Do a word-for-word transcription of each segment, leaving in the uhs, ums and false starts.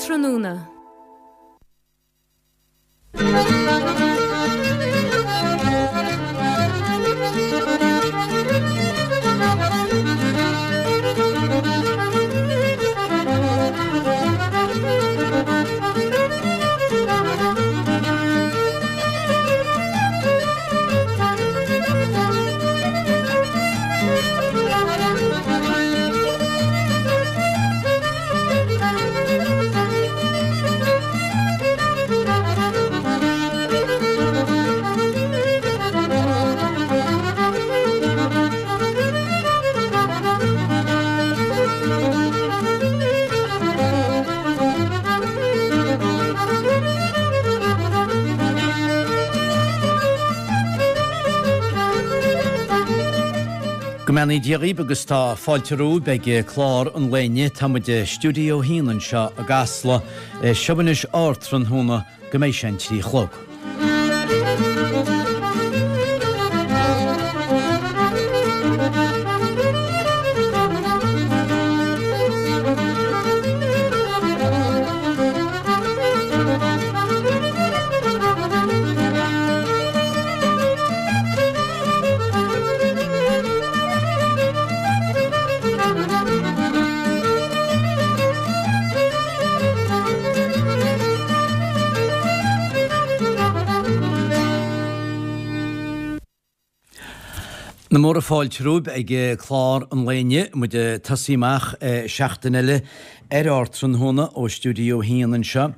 Ardtráthnóna. Go mbeannaí Dia dhaoibh agus tá fáilte romhaibh ag clár an lae inniu. Tá muid i Stiúideo a haon anseo i gCasla. Seo anois Ardtráthnóna go mbeidh sé an trí a chlog. Na móra fáilte romhaibh ag clár an lae inniu. Muid ag tosaí amach seachtain eile ar Ardtráthnóna ó Stiúideo a haon anseo.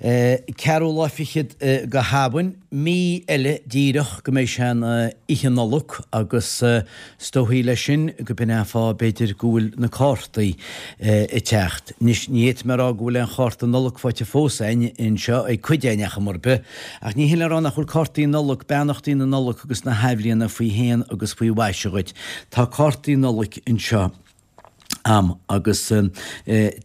Ceathrú lá fichead go Shamhain, mí eile díreach go mbeidh sé an Oíche Nollag agus is dóichí leis sin go b'in é an fáth b'fhéidir go bhfuil na cártaí ag teacht. Anois ní fhéadfaidh mé a rá go bhfuil aon chárta Nollag faighte fós againn anseo ag cuid againn ach mar bith, ach ní hin le rá nach bhfuil cártaí Nollag, beannachtaí na Nollag agus na hAthbhliana faoi shéan agus faoi mhaise dhuit. Tá cártaí Nollag anseo a'm agus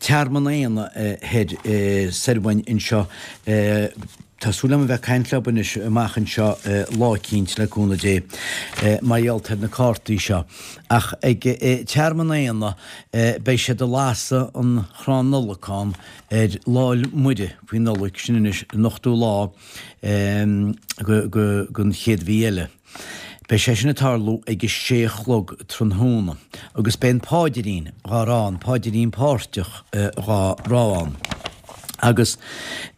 Tearmann Éanna thoir soir uainn anseo. Tá súil agam a bheith ag caint leo anois amach anseo lá eicínt le cúnamh Dé mar gheall ar na cártaí seo. Ach ag Tearmann Éanna beidh siad ag lasadh an chrann Nollag ann ar Lá 'le Muire faoi Nollaig, sin anois an ochtú lá den chéad mhí eile. Beidh sé sin ag tarlú ag a sé a chlog tráthnóna agus beidh an Páidrín dhá rá, an Páidrín páirteach dhá rá ann. Agus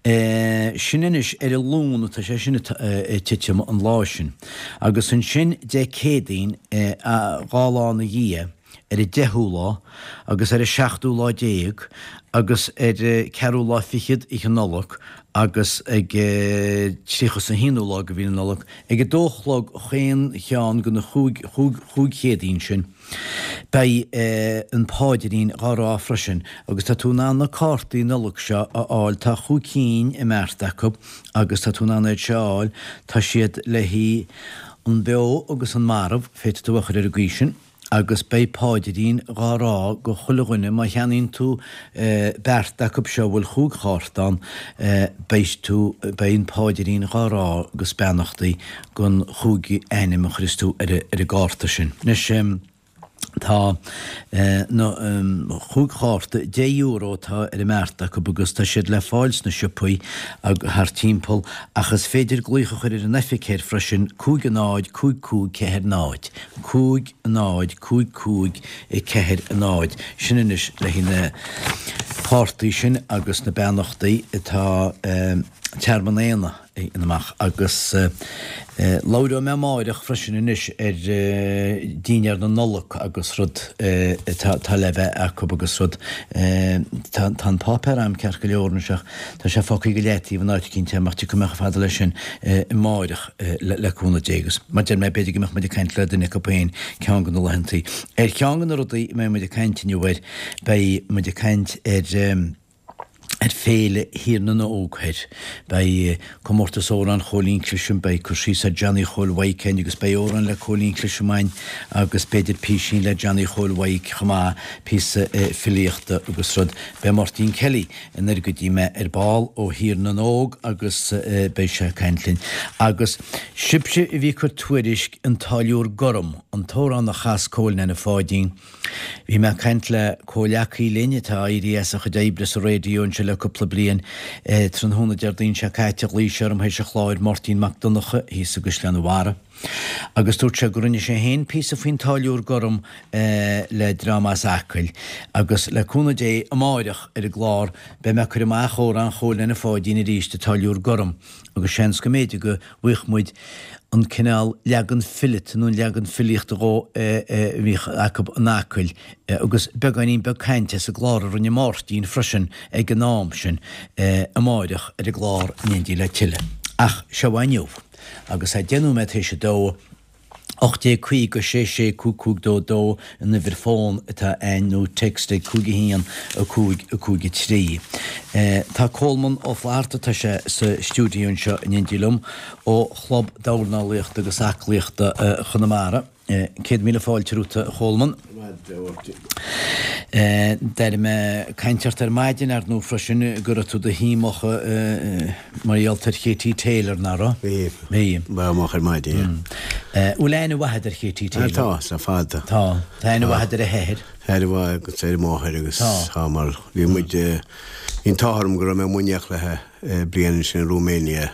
sin anois ar an Luan atá sé sin ag titim an lá sin. Agus ansin Dé Céadaoin dhá lá ina dhiaidh, ar an deichiú lá agus ar an seachtú lá déag agus ar an ceathrú lá fichead Oíche Nollag agus ag tríocha is a haonú lá de mhí na Nollag ag a dó a chlog chaon cheann de na chúig chúig Chéadaoin sin. Beidh an Páidrín dhá rá freisin agus tá tú in ann na cártaí Nollag seo a fháil, tá chúig cinn i mbeart acu agus tá tú in ann iad seo a fháil, tá siad le haghaidh an beo agus an marbh, féadfaidh tú a chur ar an gcaoi sin. Agus beidh páidrín dhá rá go chuile dhuine, má cheannaíonn tú beart acu seo a bhfuil chúig chárta ann, beidh tú, beidh an páidrín dhá rá agus beannachtaí gon chúig ainm a chuireas tú ar an gcárta sin. Anois, tá na chúig chárta, deich euro atá ar an mbeart acu agus tá siad le fáil sna siopaí thart timpeall ach is féidir glaoch a chur ar an oifig thoir freisin, cúig a náid, cúig cúig ceathair náid. cúig náid cúig cúig ceathair náid. Sin anois le haghaidh na cártaí sin agus na beannachtaí atá Tearmann Éanna a dhéanamh amach agus labhróidh mé amáireach freisin anois ar dínnéar na Nollag agus rud atá le bheith acu agus rud tá an páipéar a'm ceart go leor anois ach tá sé fágtha go leataobh in áit eicínt a'm ach tiocfaidh mé chomh fada leis sin amáireach le cúnamh Dé agus mar deir mé b'fhéidir go mbeadh muid ag caint le duine acu féin ceann de na laethantaí. Ar cheann de na rudaí a mbeidh muid ag caint inniu air beidh muid ag caint ar ar Féile Thír na nÓg thoir. Beidh comórtas amhrán Chóilín Clisham, beidh cur síos ar Johnny Chóil Mhaidhc againn agus beidh amhrán le Cóilín Clisham againn agus b'fhéidir písín le Johnny Chóil Mhaidhc chomh maith, píosa filíochta agus rud. Beidh Máirtín Kelly anoir go dtí mé ar ball ó Thír na nÓg agus beidh sé ag caint linn. Agus sibhse a bhí ag cur tuairisc An Táilliúir Gorm, an t-amhrán a chas Cóil Neaine Pháidín. Bhí mé ag caint le comhleacaí linn atá éirithe as a chuid oibre sa raidió anseo le le cúpla bliain. Tráthnóna Déardaoin seo caite ghlaoigh sé orm théis an chláir, Máirtín Mac Donncha thíos i gCaisleán an Bharraigh, agus dúirt sé go rinne sé féin píosa faoin Táilliúir Gorm le dream as Acaill agus le cúnamh Dé amáireach ar an gclár beidh mé ag cur amach amhrán Chóil Leaine Pháidín arís, an Táilliúir Gorm, agus seans go mb'fhéidir go bhfaigheadh muid an cineál leagan fileata nó an leagan filíochta dhó a bhíodh acu in Acaill agus beagáinín beag cainte as an gclár a rinne Máirtín freisin ag an am sin amáireach ar an gclár in éindí le tuilleadh. Ach seo é inniu agus é deich nóiméad théis a dó. ocht déag caoga sé sé cúig cúig dó dó an uimhir fón atá a'inn nó text ag cúig a haon a cúig a cúig a trí. Tá Colman Ó Flatharta, tá sé sa stiúideo anseo in éindí liom, ó Chlub Dornálaíochta agus Aclaíochta Chonamara. Céad míle fáilte romhat, a Cholman. D'airigh mé caint ort ar maidin, ar ndóigh, freisin, go raibh tú do shuí amach mar gheall ar Katie Taylor, nach raibh? Bhí. Bhí. Ba amach ar maidin, yeah. Bhfuil aithne mhaith agat ar Katie Taylor? Tá, le fada. Tá. Tá aithne mhaith agat ar a hathair? Aithne mhaith agat ar a máthair agus tá mar bhí muid, bhí an t-ádh orm go raibh mé in éineacht léi bliain ansin i Romania.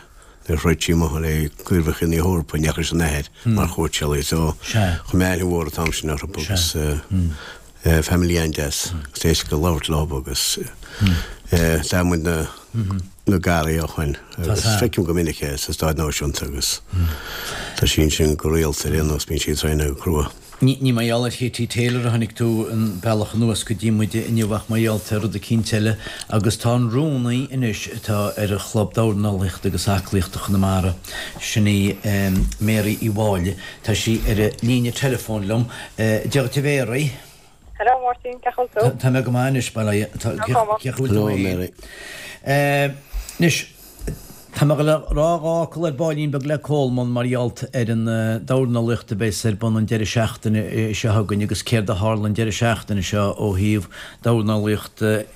Nuair a throid sí amuigh le Craobhacha na hEorpa in éineacht leis an athair mar chóitseálaí so chuir mé aithne mhór an t-am sin orthu agus family an-deas agus éasca labhairt leo agus tá muid na na garaí ó shoin agus feicim go minic é sa Stáid Náisiúnta agus tá sí ansin go rialta ar aon nós bíonn sí ag traenáil go crua. Ní mar gheall ar Katie Taylor a tháinig tú an bealach anuas go dtí muide inniu ach mar gheall ar rud eicínt eile agus tá an rúnaí anois atá ar Chlub Dornálaíochta agus Aclaíochta Chonamara, sin í Mary Uí Mháille, tá sí ar an líne teileafóin liom. Dia dhuit a Mhary. Hello Máirtín, cén chaoi a bhfuil tú? Tá mé go maith anois, bail ó Dhia. Cén chaoi a bhfuil tú Hello Mary. Anois, Tá mé le rá dhá fhocal ar baillín beag le Colman mar gheall ar an dornálaíocht a bheas ar bun an deireadh seachtaine seo chugainn agus céard a tharla an deireadh seachtaine seo ó thaobh dornálaíochta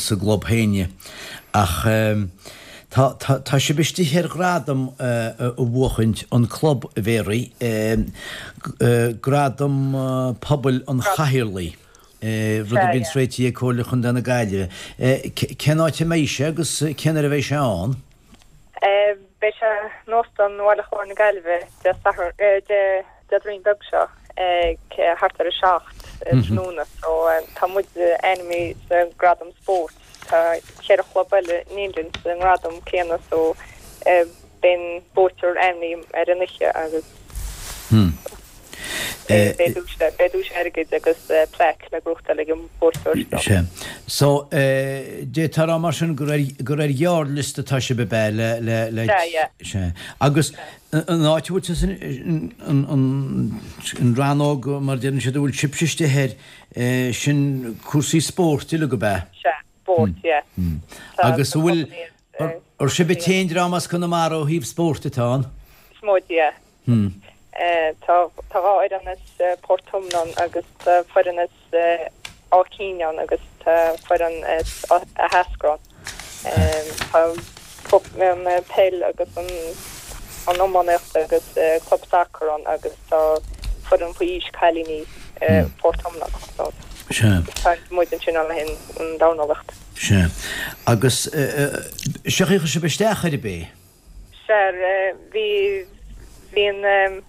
sa gclub féin dhe. Ach tá, tá, tá sibh istigh ar ghradam a bhuachaint, an club, a Mhary, Gradam Pobail an Chathaoirligh. rud a bhíonns réitithe ag Comhairle Chontae na Gaillimhe. Cén áit a mbeidh sé agus cén uair a bheidh sé ann? Beidh sé in Óstán Bhaile Chláir na Gaillimhe Dé Sathairn, Déardaoin beag seo ag thart ar a seacht tráthnóna. So tá muid ainmnithe sa ngradam spóirt. Tá ceithre chlub eile in éindí linn sa ngradam céanna so beidh an buaiteoir ainmnithe ar an oíche agus Beidh duais airgid agus plaic le gnóthachtáil ag an mbuaiteoir. Sea. So, d'fhéadfá a rá mar sin gur ar, gur ar ghearrliosta atá sibh ab ea le, le, le. Sea, yeah. Sea. Agus an áit a bhfuil tusa, an, an, an rannóg mar a deireann siad a bhfuil sibhse istigh air, sin cúrsaí spóirt uilig ab ea? Sea, spóirt, yeah. Agus an bhfuil, ar sibh an t-aon dream as Conamara ó thaobh spóirt atá ann? Is muid, yeah. Tá dhá fhoireann as Port Omna ann agus tá foireann as Áth Cinn ann agus tá foireann as Eascrach ann. Tá an peil agus an iománaíocht agus club sacair ann agus tá foireann faoi aois cailíní Port Omna ann. Sea. Tá muid ansin ann le haghaidh an dornálaíocht. Sea. Agus cén chaoi a chuir sibh isteach air ab é? Sea, bhí, bhí an,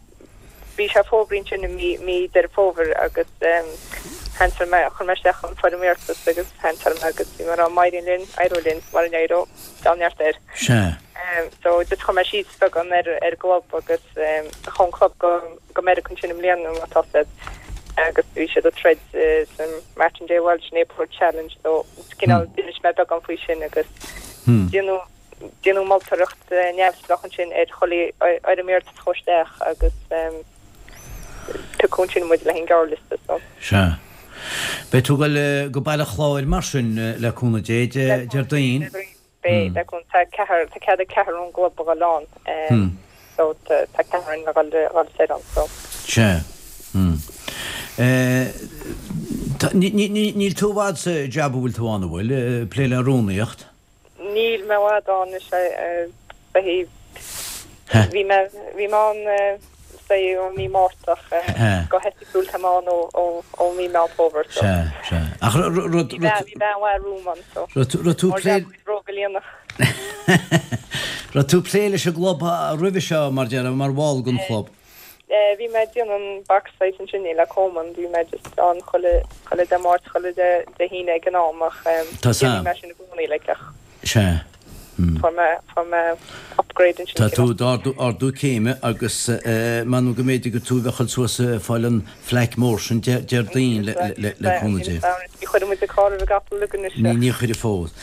bhí sé fógraithe ansin i mí, mí Deireadh Fómhair agus sheansáil mé, chuir mé isteach an foirm iarratais agus sheansáil mé agus bhí mé ag rá má éiríonn linn, éireoidh linn, mura n-éireoidh, deabhal neart air. Sea. So just chuir mé síos beagán ar, ar an gclub agus chuaigh an club go, go Meiriceá ansin i mbliana má tá fhios a'd agus bhí siad ag troid san Martin J Walsh Neighbourhood Challenge so cineál d'inis mé beagán faoi sin agus déanadh Déanadh moltóireacht neamhspleách ansin ar chuile fhoirm iarratais a chuaigh isteach agus piocadh ansin muid le haghaidh an gearrliosta so. Sea. Beidh tú ag dul go Baile Chláir mar sin le cúnamh Dé, Déardaoin? Beidh, le cúnamh, tá ceathrar, tá cead ag ceathrar ón gclub a dhul ann so tá ceathrar againn le dhul soir ann so. Sea. Níl tú i bhfad sa jab a bhfuil tú ann, an bhfuil, ag plé le rúnaíocht? Níl mé i bhfad ann, is é, bhí mé, bhí mé ann é ó mí Márta go hoifigiúil tá mé ann ó ó ó mí Meán Fómhair so. Sea, sea. Ach rud Bhí bean bhí bean mhaith romham ann so. Raibh tú Mar plé bhróga líonach. Raibh tú plé leis an gclub roimhe seo mar déarfá mar bhall den chlub. Bhí mé ag déanamh an box fight ansin le Coleman, bhí mé just ann chuile chuile Dé Máirt chuile Dé Dé hAoine ag an am ach Tá déanfaidh mé sin i gcónaí like ach Sea. fuair mé fuair mé upgrade ansin. Tá tú d'ardú ardú céime agus m'anam go mb'fhéidir gur tú a bheadh suas ag fáil an phlaic mór sin Déardaoin le le le cúnamh Dé. Ní chuireann muid an carr roimh an gcapall againn Ní ní chuirfidh fós.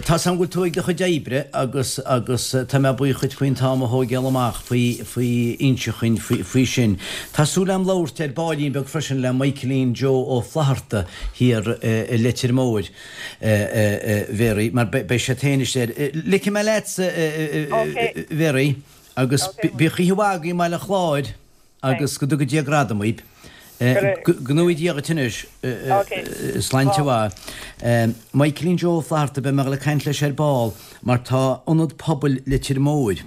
Tá 's agam go bhfuil tú ag do chuid oibre agus agus tá mé buíoch dhuit faoin t-am a thógáil amach faoi faoi inse chugainn faoi faoi sin. Tá súil agam labhairt ar baillín beag freisin le Michaelín Joe Ó Flatharta thiar i Leitir Móir Mary mar beidh sé féin istigh air. Ligfidh mé leatsa Mary agus bíodh oíche mhaith agaibh i mBaile Chláir agus go dtuga Dia gradam dhaoibh. Go ngnóthaí Dia dhuit anois. Sláinte mhaith. Michaelín Joe Ó Flatharta beidh mé ag dul ag caint leis ar ball mar tá Ionad Pobail Leitir Móir.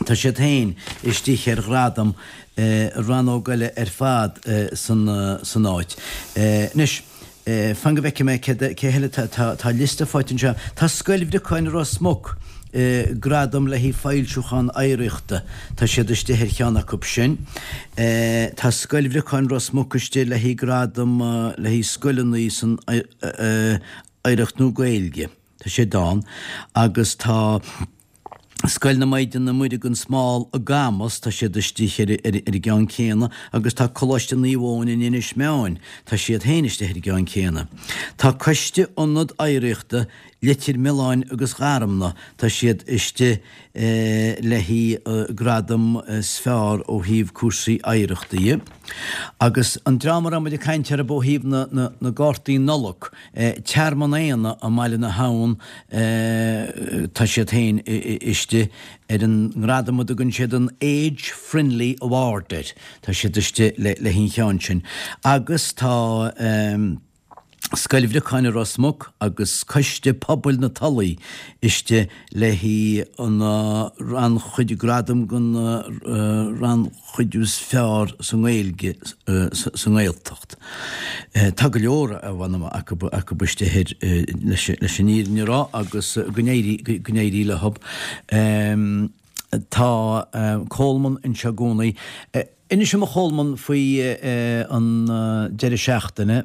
Tá siad féin istigh ar ghradam rannóg eile ar fad san san áit. Anois, fan go bhfeicfidh mé cé cé heile tá tá liosta faighte anseo. Tá Scoil Bhriocáin Ros Muc, gradam le haghaidh foilsiúchán oidhreachta. Tá siad istigh ar cheann acu sin. Tá Scoil Bhriocáin Ros Muc istigh le haghaidh gradam le haghaidh scoileanna san oidhreacht nó Gaeilge. Tá siad ann agus tá Scoil na Maighdine Muire gan Smál i gCamus, tá siad istigh ar ar an gceann céanna agus tá Coláiste Naomh Eoin in Inis Meáin, tá siad féin istigh ar an gceann céanna. Tá Coiste Ionad Oidhreachta Leitir Mealláin agus Gharmna, tá siad istigh le haghaidh gradam is fearr ó thaobh cúrsaí oidhreachta dhe. Agus an dream a raibh muid ag caint orthu ó thaobh na na na gcártaí Nollag, Tearmann Éanna i mBaile na hAbhann, tá siad féin istigh ar an ngradam a dtugann siad an Age Friendly Award air, tá siad istigh le le an cheann sin. Agus tá Scoil Bhriocáin i Ros Muc agus Coiste Pobail na Tulaí istigh le haghaidh an rannchuid gradam don rannchuidiú is fearr sa nGaeilge sa nGaeltacht. Tá go leor a bhaineann acu acu istigh air leis leis an fhírinne a rá agus go n-éirí go n-éirí leo. Tá Coleman anseo i gcónaí. Inis dom a Cholman faoi an deireadh seachtaine,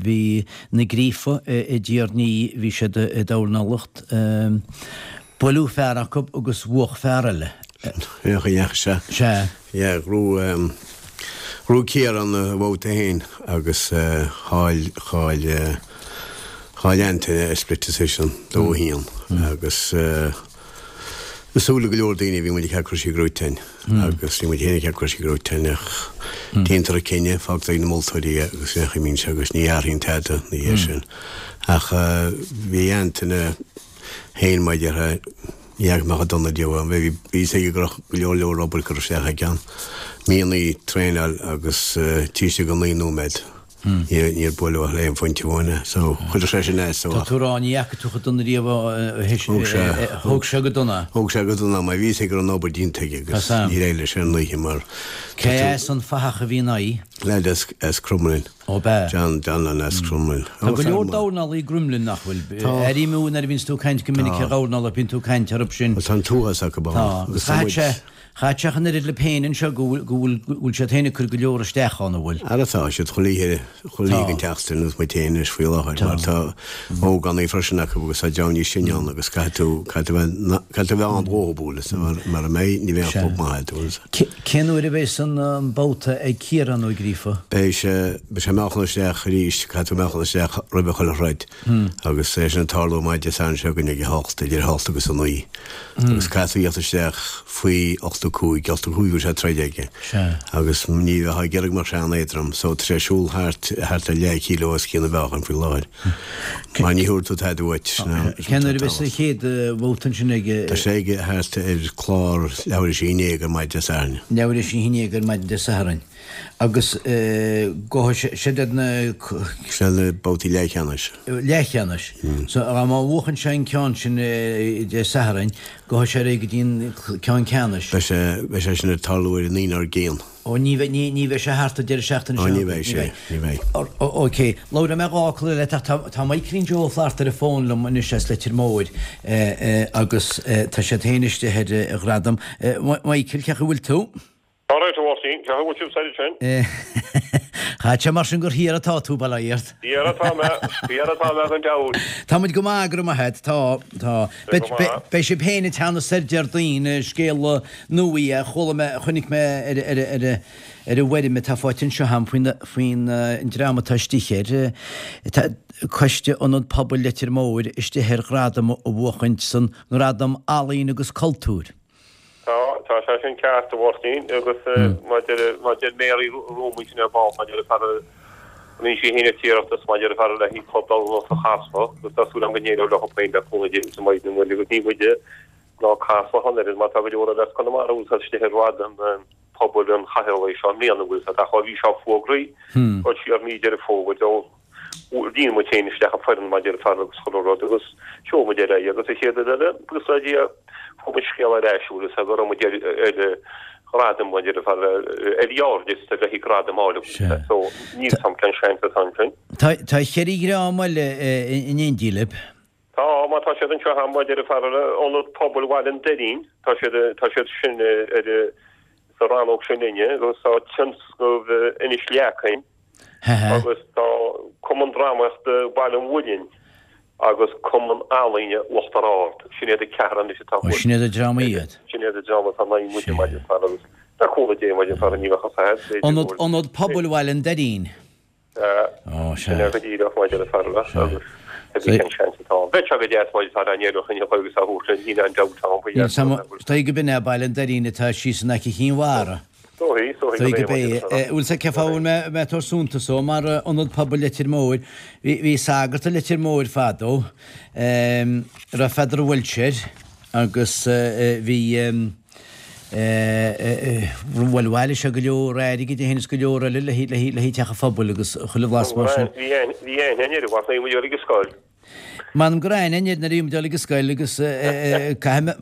bhí na Gríofa i dTír an Fhia, bhí siad ag dornálacht, buaileadh fear acu agus bhuach fear eile. Féach, sea. Sea. Yeah, ghnóthaigh, ghnóthaigh Ciarán a bhabhta féin agus chaill, chaill, chaill Antaine ar split decision, dó a haon agus i súile go leor daoine bhí muid ag ceap go raibh sé gnóite agus bhí muid féin ag ceap go raibh sé gnóite ach déantar an cinneadh, fágtar ag na moltóirí é agus féach a mbíonn sé agus ní athraíonn tada ina dhiaidh sin. Ach bhí Antaine féin mar a déarfá, ní fhaca mé chomh dona riamh é. Bhí fhios aige go raibh go leor leor obair curtha isteach aige ann. Míonna traenáil agus taobh istigh de naoi nóiméad. Níor buaileadh ach le haon phointe amháin é. So, chuir sé sin as dó. Tá tú ag rá ní fhaca tú chomh dona riamh é. Thóg sé. Thóg sé go dona. Thóg sé go dona mar bhí fhios aige go raibh an obair déanta aige agus níor éirigh leis ar an oíche mar. Cé as an fathach a bhí ina aghaidh? Leaid as as Crumlin. Ó b'ea. John Donlan as Crumlin. Tá go leor dornálaí i gCrumlin nach bhfuil? Tá. Airím nuair a bhíonns tú ag caint go minic ar dhornálaithe bíonn tú ag caint orthu sin. Tá an t-uafás acu ann. Tá. Agus chaith sé Chaith sé an oiread leo féin anseo go bhfuil, go bhfuil, go bhfuil siad féin ag cur go leor isteach ann, an bhfuil? Ara tá siad chuile oíche, chuile oíche den tseachtain agus muid féin anois faoi láthair mar tá ógánaigh freisin acu agus tá dream níos sine ann agus caithfidh tú, caithfidh tú bheith, caithfidh tú bheith ann dhótha bualadh mar, mara mbeidh, ní bheidh an club maith agat, bhfuil. Cé, cén uair a bheas an, an babhta ag Ciarán Ó Gríofa? Beidh sé, beidh sé meáchan isteach arís, caithfidh tú meáchan isteach roimhe chuile throid agus é sin ag tarlú maidin Dé Sathairn seo chugainn ag a hocht, idir a hocht agus a naoi. Agus caithfidh tú a theacht isteach faoi ochtó cúig, ochtó cúig bhfuil sé troid aige. Sea. Agus ní bheifeá ag iarraidh go mbeadh sé an-éadrom, so tá sé ag siúl thart, thart ar leath kilo os cionn a mheáchain faoi láthair. Mar ní thabharfaidh tú tada uait. Cén uair a bheas an chéad bhabhta ansin aige? Tá sé aige thart ar chlár leathuair tar éis a haon déag ar maidin Dé Sathairn. Leathuair tar éis a haon déag ar maidin Dé Sathairn. Agus gabhfaidh sé iad na. Sin na babhtaí leathcheannais. Leathcheannais. So má bhuachann sé an ceann sin Dé Sathairn, gabhfaidh sé ar aghaidh go dtí an ceann ceannais. Beidh sé, beidh sé sin ag tarlú ar an Aoine dár gcionn. Ó ní bheidh, ní, ní bheidh sé thart an deireadh seachtaine seo. Ó ní bheidh sé, ní bheidh. Ok. Labhróidh mé dhá fhocal eile leat ach tá, tá Michaelín Joe Ó Flatharta ar an bhfón liom anois as Leitir Móir agus tá siad féin istigh ar ghradam. Michael, cén chaoi a bhfuil tú? Alright, a Mháirtín, cén chaoi a bhfuil sibh ansin? Chaithfeadh sé mar sin gur thiar atá tú, bail ó Dhia ort. Thiar atá mé, thiar atá mé gan dabht. Tá muid go maith, go raibh maith agat, tá, tá. Beidh sibh féin ag teannadh soir Déardaoin, scéal nua é, chuala mé, chonaic mé ar, ar, ar, ar an bhfoirm atá faighte anseo agam faoin, faoin dream atá istigh air. Tá Coiste Ionad Pobail Leitir Móir istigh ar ghradam a bhuachaint san nGradam Ealaíon agus Cultúir. Tá, tá sé sin ceart, a Mháirtín, agus mar a deir Mary romham ansin ar ball, mar a deir fear, rinne sí féin an t-iarratas mar a deir fear le haghaidh club dornálaíochta Chasla, agus tá súil agam go n-éireoidh leo féin le cúnamh Dé sa maidin bhuel agus ní muide ná Casla ach an oiread mar tá go leor eile as Conamara atá istigh ar ghradam pobail an chathaoirligh seo i mbliana bhfuil fhios agat ach ó bhí sé fógraithe dul siar mí Deireadh Fómhair ó Líon muid féin isteach an foireann mar a deir fear agus chuile rud agus sheol muid ar aghaidh agus an chéad rud eile agus le Dia fuair muid scéala ar ais bhfuil fhios agat go raibh muid ar ar ghradam mar a deir fear ar ghearrliosta le haghaidh gradam a fháil Sea. so níl 's a'm cén seans atá ansin. Tá tá cheithre dhream eile in éindí libh. Tá, má tá siad anseo agam mar a deir fear Ionad Pobail Bhaile an Doirín tá siad tá siad sin ar sa rannóg sin linne agus tá tionscnamh Inis Leacain agus tá Cumann Drámaíochta Bhaile an Mhuilinn agus Cumann Ealaíne Uachtar Ard. Sin iad an ceathrar anois atá thuas. Sin iad an dream iad. Sin iad an dream atá in aghaidh muide maidin fear agus le cúnamh Dé maidin fear ní bheadh a fhios agat. Ionad Ionad Pobail Bhaile an Doirín. Sea. Sin é go díreach maidin fear agus cén seans atá ann. Bheadh sé go deas maidin fear an éireoidh an agus a thabhairt níl aon dabht ann faoi. Is dóigh go b'in é Baile an Doirín atá síos in aice Chinn Mhara. Dóigh, dóigh gurb é. Bhfuil 's agat cén fáth a bhfuil mé ag tabhairt suntas dó mar Ionad Pobail Leitir Móir. Bhí bhí sagart i Leitir Móir fadó, a raibh Peadar Walsh air agus bhí bhuel bhailigh sé go leor airgid é féin is go leor eile le le le haghaidh teach an phobail agus chuile bhlas mar sin. Bhí bhí aithne air, bhí aithne air ag an scoil. M'anam go raibh aithne air nuair a bhí muid ag dul ag an scoil agus caithfidh mé,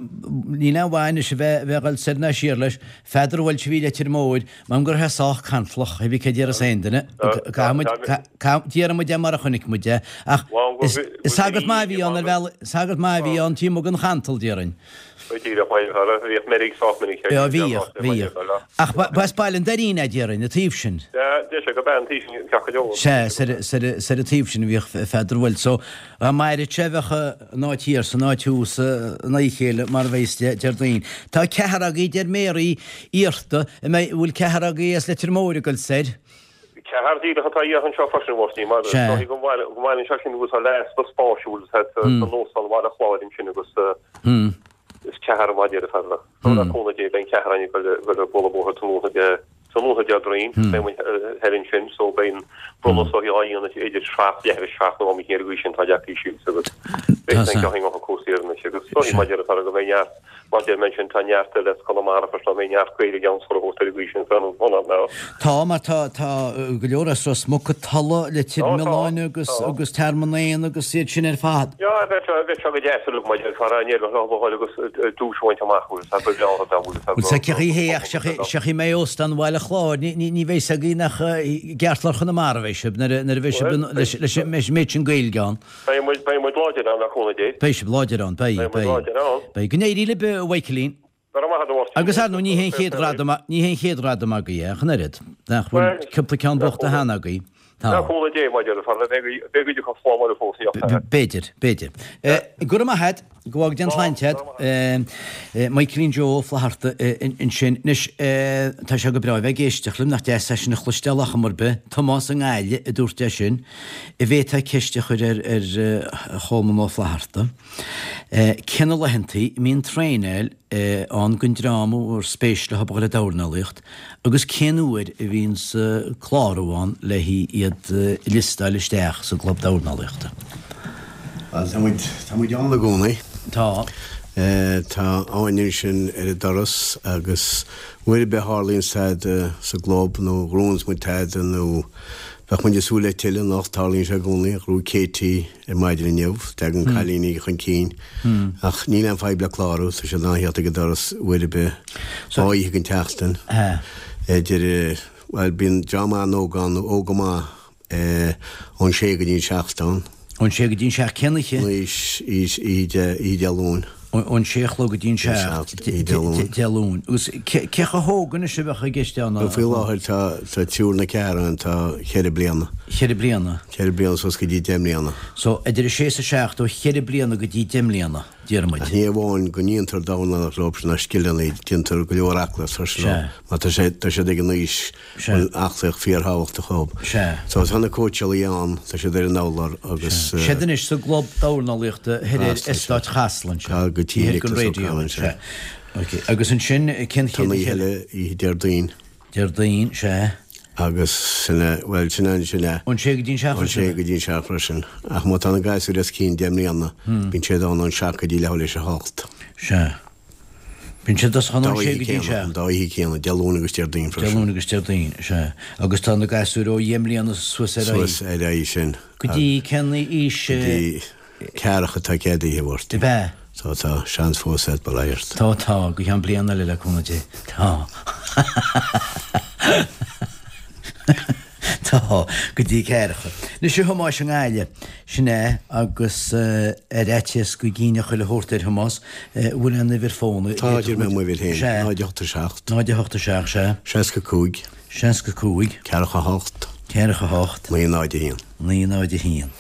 níl aon mhaith anois a bheith a bheith ag dul soir ná siar leis, Pheadar Walsh a bhí i Leitir Móir, m'anam go raibh sé sách cantalach, hé bí cé déarfas aon duine, caithfidh muid, déarfaidh muid é mar a chonaic muid é, ach is sagart maith a bhí ann ar bhealach, sagart maith a bhí ann taobh amuigh den chantal, déarfainn. Bhíodh bhíodh meirg sách minic air. Bhíodh, bhíodh. Ach ba as Baile an Doirín é, déarfainn, an taobh sin. Sea, deir sé go b'ea an taobh sin ceart go leor. Sea, soir soir an taobh sin a bhíodh Pheadar Walsh. So, dá maireadh sé bheadh an áit thiar 's an áit thuas in aghaidh a chéile mar a bheas Déardaoin. Tá ceathrar agaibh, deir Mary, iarrta, an mbeidh, bhfuil ceathrar agaibh as Leitir Móir ag dul soir? Ceathrar díreach atá iarrtha anseo freisin, a Mháirtín, mar is dóigh go mbaineann sé sin agus tá easpa spáis san Óstán Bhaile Chláir ansin agus is ceathrar mar a deir fear le cúnamh Dé beidh an ceathrar againn ag dul ag bualadh bóthair tráthnóna Déardaoin, beidh muid thoir ansin so beidh an bronnadh so á dhéanamh idir seacht leathuair tar éis seacht nó am éicint ar an gcaoi sin tá deacair síos agus beidh san ceann acu cúrsaí ar anois agus is dóigh mar a deir fear go mbeidh neart Mar deir mé ansin, tá neart eile as Conamara freisin, beidh neart Gaeilge ann sula thabhairt ar an gcaoi sin san ionad. Tá, mar tá, tá go leor as Ros Muc, Tulla, Leitir Mealláin agus, agus Tearmann Éanna agus iad sin ar fad. Yeah, bheadh sé, bheadh sé go deas uilig mar deir fear an éireoidh leo a dhul agus duais a bhaint amach agus tá go leor dá bhfuil Bhuel, sa cé hé ach seo í mé Óstán Bhaile Chláir, ní, ní, ní bheidh 's agaibh nach i gceartlár Chonamara a bheidh sibh nuair a, nuair a bheidh sibh leis, leis an méid sin Gaeilge ann. Beidh muid, beidh muid láidir ann, le cúnamh Dé. Beidh sibh láidir ann, beidh, Beidh muid beidh. láidir ann. Beidh. Go n-éirí libh, a Mhichaelín. Go raibh maith agat, a Mháirtín. Agus ar ndóigh, ní hé an chéad ghradam, ní hé an chéad ghradam agaibh é, ach an oiread. Nach bhfuil Bhuel, cúpla ceann le buachta cúnamh, cheana agaibh. Tá. le cúnamh Dé, mar a deir fear, beidh, beidh cuid acu slán bhaile fós, ní fheadar. B'fhéidir, b'fhéidir. Go raibh maith agat. Go bhfága Dia an tsláinte agat. Michaelín Joe Ó Flatharta ansin. Anois, tá sé go breá a bheith ag éisteacht libh, nach deas é sin a chloisteáil ach am ar bith. Tomás i nGaillimh a dúirt é sin. An bhféadfá ceist a chur ar ar Cholmán Ó Flatharta. Cé na laethantaí a mbíonn traenáil ann don dream ar spéis leo a dhul ag dornálaíocht agus cén uair a bhíonns clárú ann le iad a liostáil isteach sa gclub dornálaíochta? Bhuel, tá muid, tá muid ann i gcónaí. Tá. Tá Áine ansin ar an doras agus uair ar bith a tharlaíonn tada sa gclub nó gnóthaíonns muid tada nó bheadh muid ag súil le tuilleadh anocht, tarlaíonn sé i gcónaí, ghnóthaigh Katie ar maidin inniu, tagann cailíní chun cinn ach níl aon fadhb le clárú, tá siad in ann theacht ag an doras uair ar bith, dhá oíche den tseachtain, idir, bhuel bíonn dream an-óg ann, óg go maith. Ón sé go dtí an seacht ann. Ón sé go dtí an seacht cén oíche? Oíche Dé Luain. Ón sé a chlog go dtí an seacht Dé Luain. Agus cé chomh hóg anois a bheadh i gceist ann? Faoi láthair tá triúr nó ceathrar ann tá cheithre bliana. Cheithre bliana? Ceithre bliana suas go dtí deich mbliana. So idir a sé is a seacht ó cheithre bliana go dtí deich mbliana, déarfaidh muid. Ach ní amháin go ndéantar dornálaíocht leo sin ná scileanna, déantar go leor aclaíocht freisin leo. Mar tá siad ag an aois Bhfuil aclaíocht fíorthábhachtach dhób. Sea. So tá na cóitseálaí ann, tá siad ar an urlár agus. Siad anois sa gclub dornálaíochta thoir ar Eastát Chasla ansin. Tá go tí Nicholas O'Connell, sea. Ok. Agus ansin cén chéad oíche eile? Oíche Déardaoin. Déardaoin, sea. Agus sin é, bhuel sin é, sin é. Ón sé go dtí an seacht freisin. Ón sé go dtí an seacht freisin. Ach má tá na gasúir os cionn deich mbliana, bíonn siad ann ón seacht go dtí leathuair tar éis a hocht. Sea. Bíonn siad os cionn ón sé go dtí an seacht. An dá oíche céanna, Dé Luain agus Déardaoin freisin. Dé Luain agus Déardaoin, sea. Agus tá na gasúir ó dheich mbliana suas ar aghaidh. Suas ar aghaidh, sin. Go dtí cén aois? Go dtí ceathracha atá ceadaithe, a Mháirtín. Ab ea? Tá, tá seans fós agat, bail ó Dhia ort. Tá, tá, go ceann bliana eile le cúnamh Dé. Tá. Tá, go dtí ceathracha. Anois a Thomáis i nGaillimh, sin é, agus ar fhaitíos go gcinneadh chuile shórt ar Thomás, an bhfuil aon uimhir fóin? Tá, déarfaidh mé m'uimhir féin, náid a hocht a seacht. Náid a hocht a seacht, sea. Seasca cúig. Seasca cúig. Ceathracha hocht. Ceathracha hocht. Naoi náid a haon. Naoi náid a haon.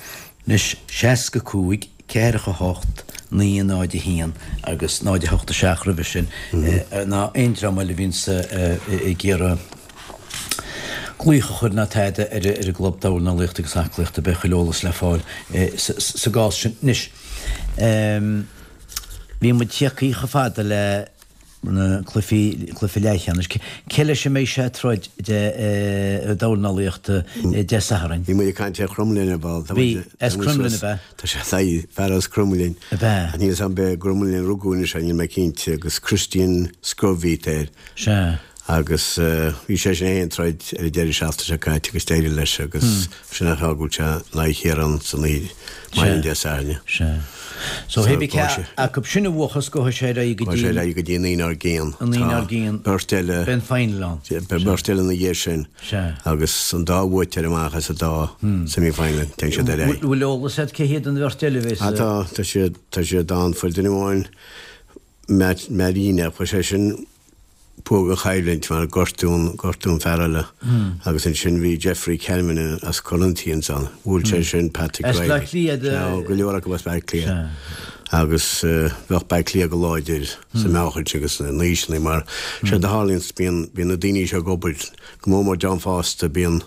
Anois, seasca cúig, ceathracha hocht, naoi náid a haon agus náid a hocht a seacht roimhe sin, ná aon dream eile a bhíonns ag iarraidh glaoch a chur ná tada ar an gClub Dornálaíochta agus Aclaíochta, beidh chuile eolas le fáil sa gcás sin. Anois, bhí muid tagtha chomh fada le na cluichí, cluiche leathcheannais. Cé leis a mbeidh sé ag troid de dornálaíochta Dé Sathairn? Bhí muid ag caint ar Chromghlinn ar ball. Bhí, as Cromghlinn ab ea? Tá sé saghas fear as Cromghlinn. Ab ea? Níl 'fhios a'm ab i gCromghlinn a rugadh anois, níl mé cinnte, agus Christian Scrubheat air. Sea. Agus bhí sé sin ag troid ar an deireadh seachtaine seo caite agus d'éirigh leis agus sin an fáth go bhfuil sé in aghaidh Chiarán san oíche maidin Dé Sathairn. Sea. So hé bí cé acu sin a bhuachas gabhfaidh sé ar aghaidh go dtí. Gabhfaidh sé ar aghaidh go dtí an aoine dár gcionn. An aoine dár gcionn. Tá beirt eile. Beidh an final ann. Beidh beirt eile ina dhiaidh sin. Sea. Agus an dá bhuaiteoir amach as an dá semi final téann siad ar aghaidh. Bhfuil eolas agat cé hiad an bheirt eile a bheas. Ah tá, tá siad, tá siad ann. Fuair duine amháin Marina, fuair sé sin Bhuaigh an choimhlint mar gortú gortú an fear eile agus ansin bhí Jeffrey Calvin as Corinthians ann. Bhuail sé sin Patrick As Reilly. Bleá Cliath de. Sea, go leor acu as Baile Átha Cliath. Agus bheadh Baile Átha Cliath go láidir sa meáchaint agus na n-aoiseanna mar séard a tharlaíonns bíonn bíonn na daoine seo ag obair go mór mór dream fásta bíonn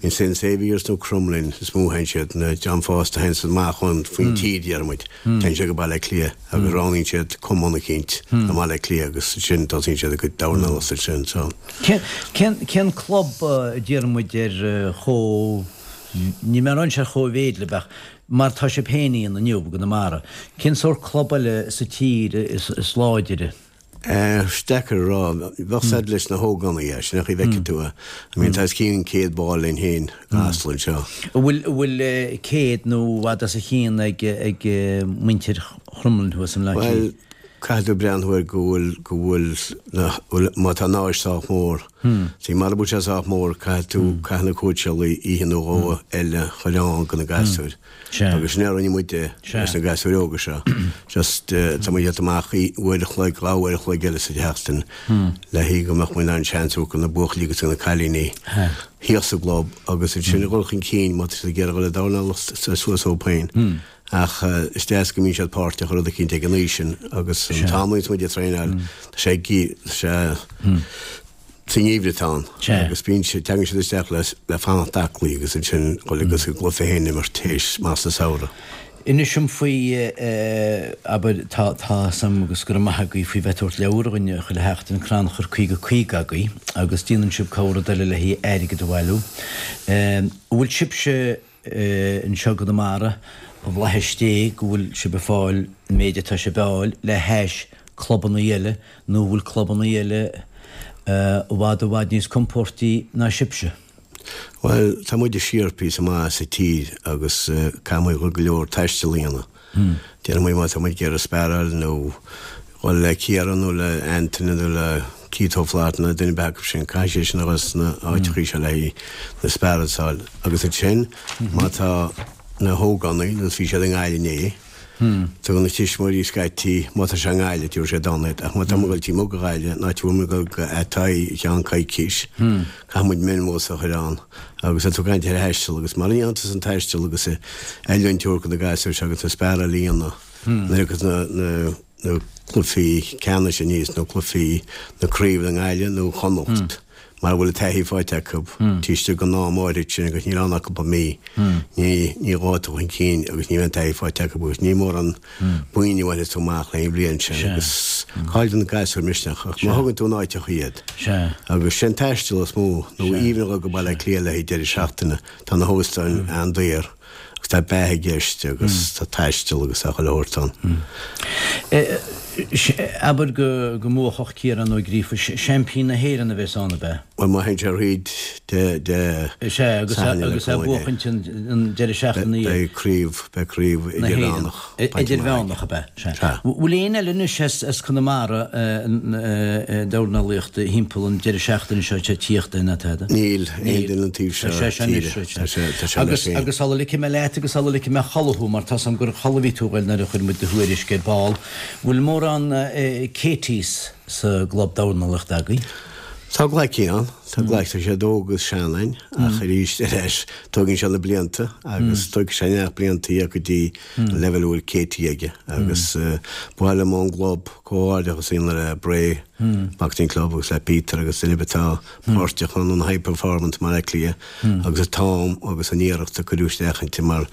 in Saint Saviour's nó Crumlin is mó a théann siad na dream fásta a théann siad amach ón faoin tír déarfaidh muid téann siad go Baile Átha Cliath agus roghnaíonn siad cumann eicínt i mBaile Átha Cliath agus ansin tosaíonn siad a gcuid dornálaíochta ansin so. Cén cén cén club déarfaidh muid ar chomh níl mé ag rá ar chóimhéid libh ach mar tá sibh féin ann inniu i gConamara cén sórt club eile sa tír is is láidire? Is deacair a rá. Bheadh said leis na hógánaigh, é, sin é an chaoi a bhfeicfidh tú é. I mean, tá os cionn céad ball linn féin i gCasla anseo. An bhfuil, an bhfuil céad nó i bhfad os a chionn ag, ag muintir Chromghlinn thuas i mBleá Bhuel, Cliath? caithfidh tú breathnú air go bhfuil, go bhfuil na, bhfuil, má tá an áis sách mór. See, mara bhfuil sé sách mór, caithfidh tú, caithfidh na cóitseálaí oíche nó dhó eile a chur ann do na gasúir. Agus sin a rinne muide leis na gasúir óga seo. Just tá muid ag amach uair a chloig, dhá uair a chloig eile sa tseachtain le haghaidh go mbeadh muid in ann seans a thabhairt do na buachaillí agus do na cailíní thíos sa gclub agus ansin a dhul chun cinn má tá siad ag iarraidh a dhul ag dornálaíocht suas ó féin. Ach is deas go mbíonn siad páirteach i rud eicínt ag an aois sin agus an t-am a bhíonns muid ag traenáil tá sé tá sé Sa ngeimhreadh atá ann agus bíonn siad, tagann siad isteach le le fanacht aclaí agus ansin dhul agus a gcluiche féin a imirt théis amach sa samhradh. Inis dom faoi, abair, tá tá 's a'm agus go raibh maith agaibh faoi bheith ag tabhairt leabhar dhuinn chuile sheachtain, Crannchur caoga caoga agaibh agus déanann sibh corr rud eile le haghaidh airgead a bhailiú. An bhfuil sibhse anseo i gConamara, i bhflaitheas Dé go bhfuil sibh ag fáil an méid atá sibh a fháil le hais clubanna eile nó bhfuil clubanna eile i bhfad i bhfad níos compóirtí ná sibhse? Bhuel, tá muid siar píosa maith sa tír agus caithfidh muid go leor taistil a dhéanamh. Déanann muid má tá muid ag iarraidh sparáil nó dhul le Ciarán nó le Anthony nó le Keith Ó Flaithearta nó duine ar bith acu sin, caithfidh sé sin a dhul sna áiteachaí seo le haghaidh na sparáil a fháil. Agus ansin, má tá na hógánaigh, nó bhí siad i nGaillimh inné, tugann na tuismitheoirí scaití, má tá sé i nGaillimh, tabharfaidh siad ann iad, ach má tá muid ag dul taobh amuigh de Ghaillimh, an áit a bhfuil muid ag dul go Athy i gceann coicís, caithfidh muid minibus a chur ann. Agus tá tú ag caint ar thaisteal agus mara ndéanann tusa an taisteal agus oiliúint a thabhairt do na gasúir seo agus na sparáil a dhéanamh nuair a thiocfas na na na cluichí ceannais aníos nó cluichí na craoibhe i nGaillimh nó Chonnacht mara bhfuil an taithí faighte acu taobh istigh den am áirid sin agus níl ann ach cúpla mí ní ní ghabhfaidh tú chun cinn agus ní bheidh an taithí faighte acu agus ní mórán boinn a bhainfeas tú amach le haghaidh an bhliain sin agus cailleann na gasúir misneach ach má thugann tú in áiteacha iad agus sin taisteal is mó nó even a dhul go Baile Átha Cliath le haghaidh deireadh seachtaine tá na hóstáin an-daor agus tá beatha i gceist agus tá taisteal agus tá chuile shórt ann. Abair go mbuafadh Ciarán Ó Gríofa, seaimpín na hÉireann a bheas ann, ab ea? Bhuel, má théann sé thríd de, de Is ea, agus agus é a bhuachaint an deireadh seachtaine. Beidh craobh, beidh craobh idirmheánach. Idirmheánach, ab ea? Sea. Bhfuil éinne eile anois as as Conamara dornálaíochta thimpeall an deireadh seachtaine seo ag tíocht ná tada? Níl, aon duine an taobh seo tíre. Tá sé, tá sé leis féin. Agus sula ligfidh mé leat agus sula ligfidh mé a chodladh thú, mar tá's agam gur a chodladh a bhí tú a ghoil nuair a chuir muid do thuairisc ar ball, Bhfuil mórán Katies sa gclub dornálaíochta agaibh? Tá glaicín ann, tá glaic, tá siad óg agus sean ann, ach arís ar ais, tógann sé na blianta agus tógfaidh sé neart blianta a go dtí an leibhéal a bhfuil Katie aige agus ba mhaith liom ón gclub comhghairdeachas a dhéanamh le Bray Boxing Club agus le Peter agus duine ar bith atá páirteach ann an High Performance i mBaile Átha Cliath agus an t-am agus an iarracht a cuireadh isteach inti mar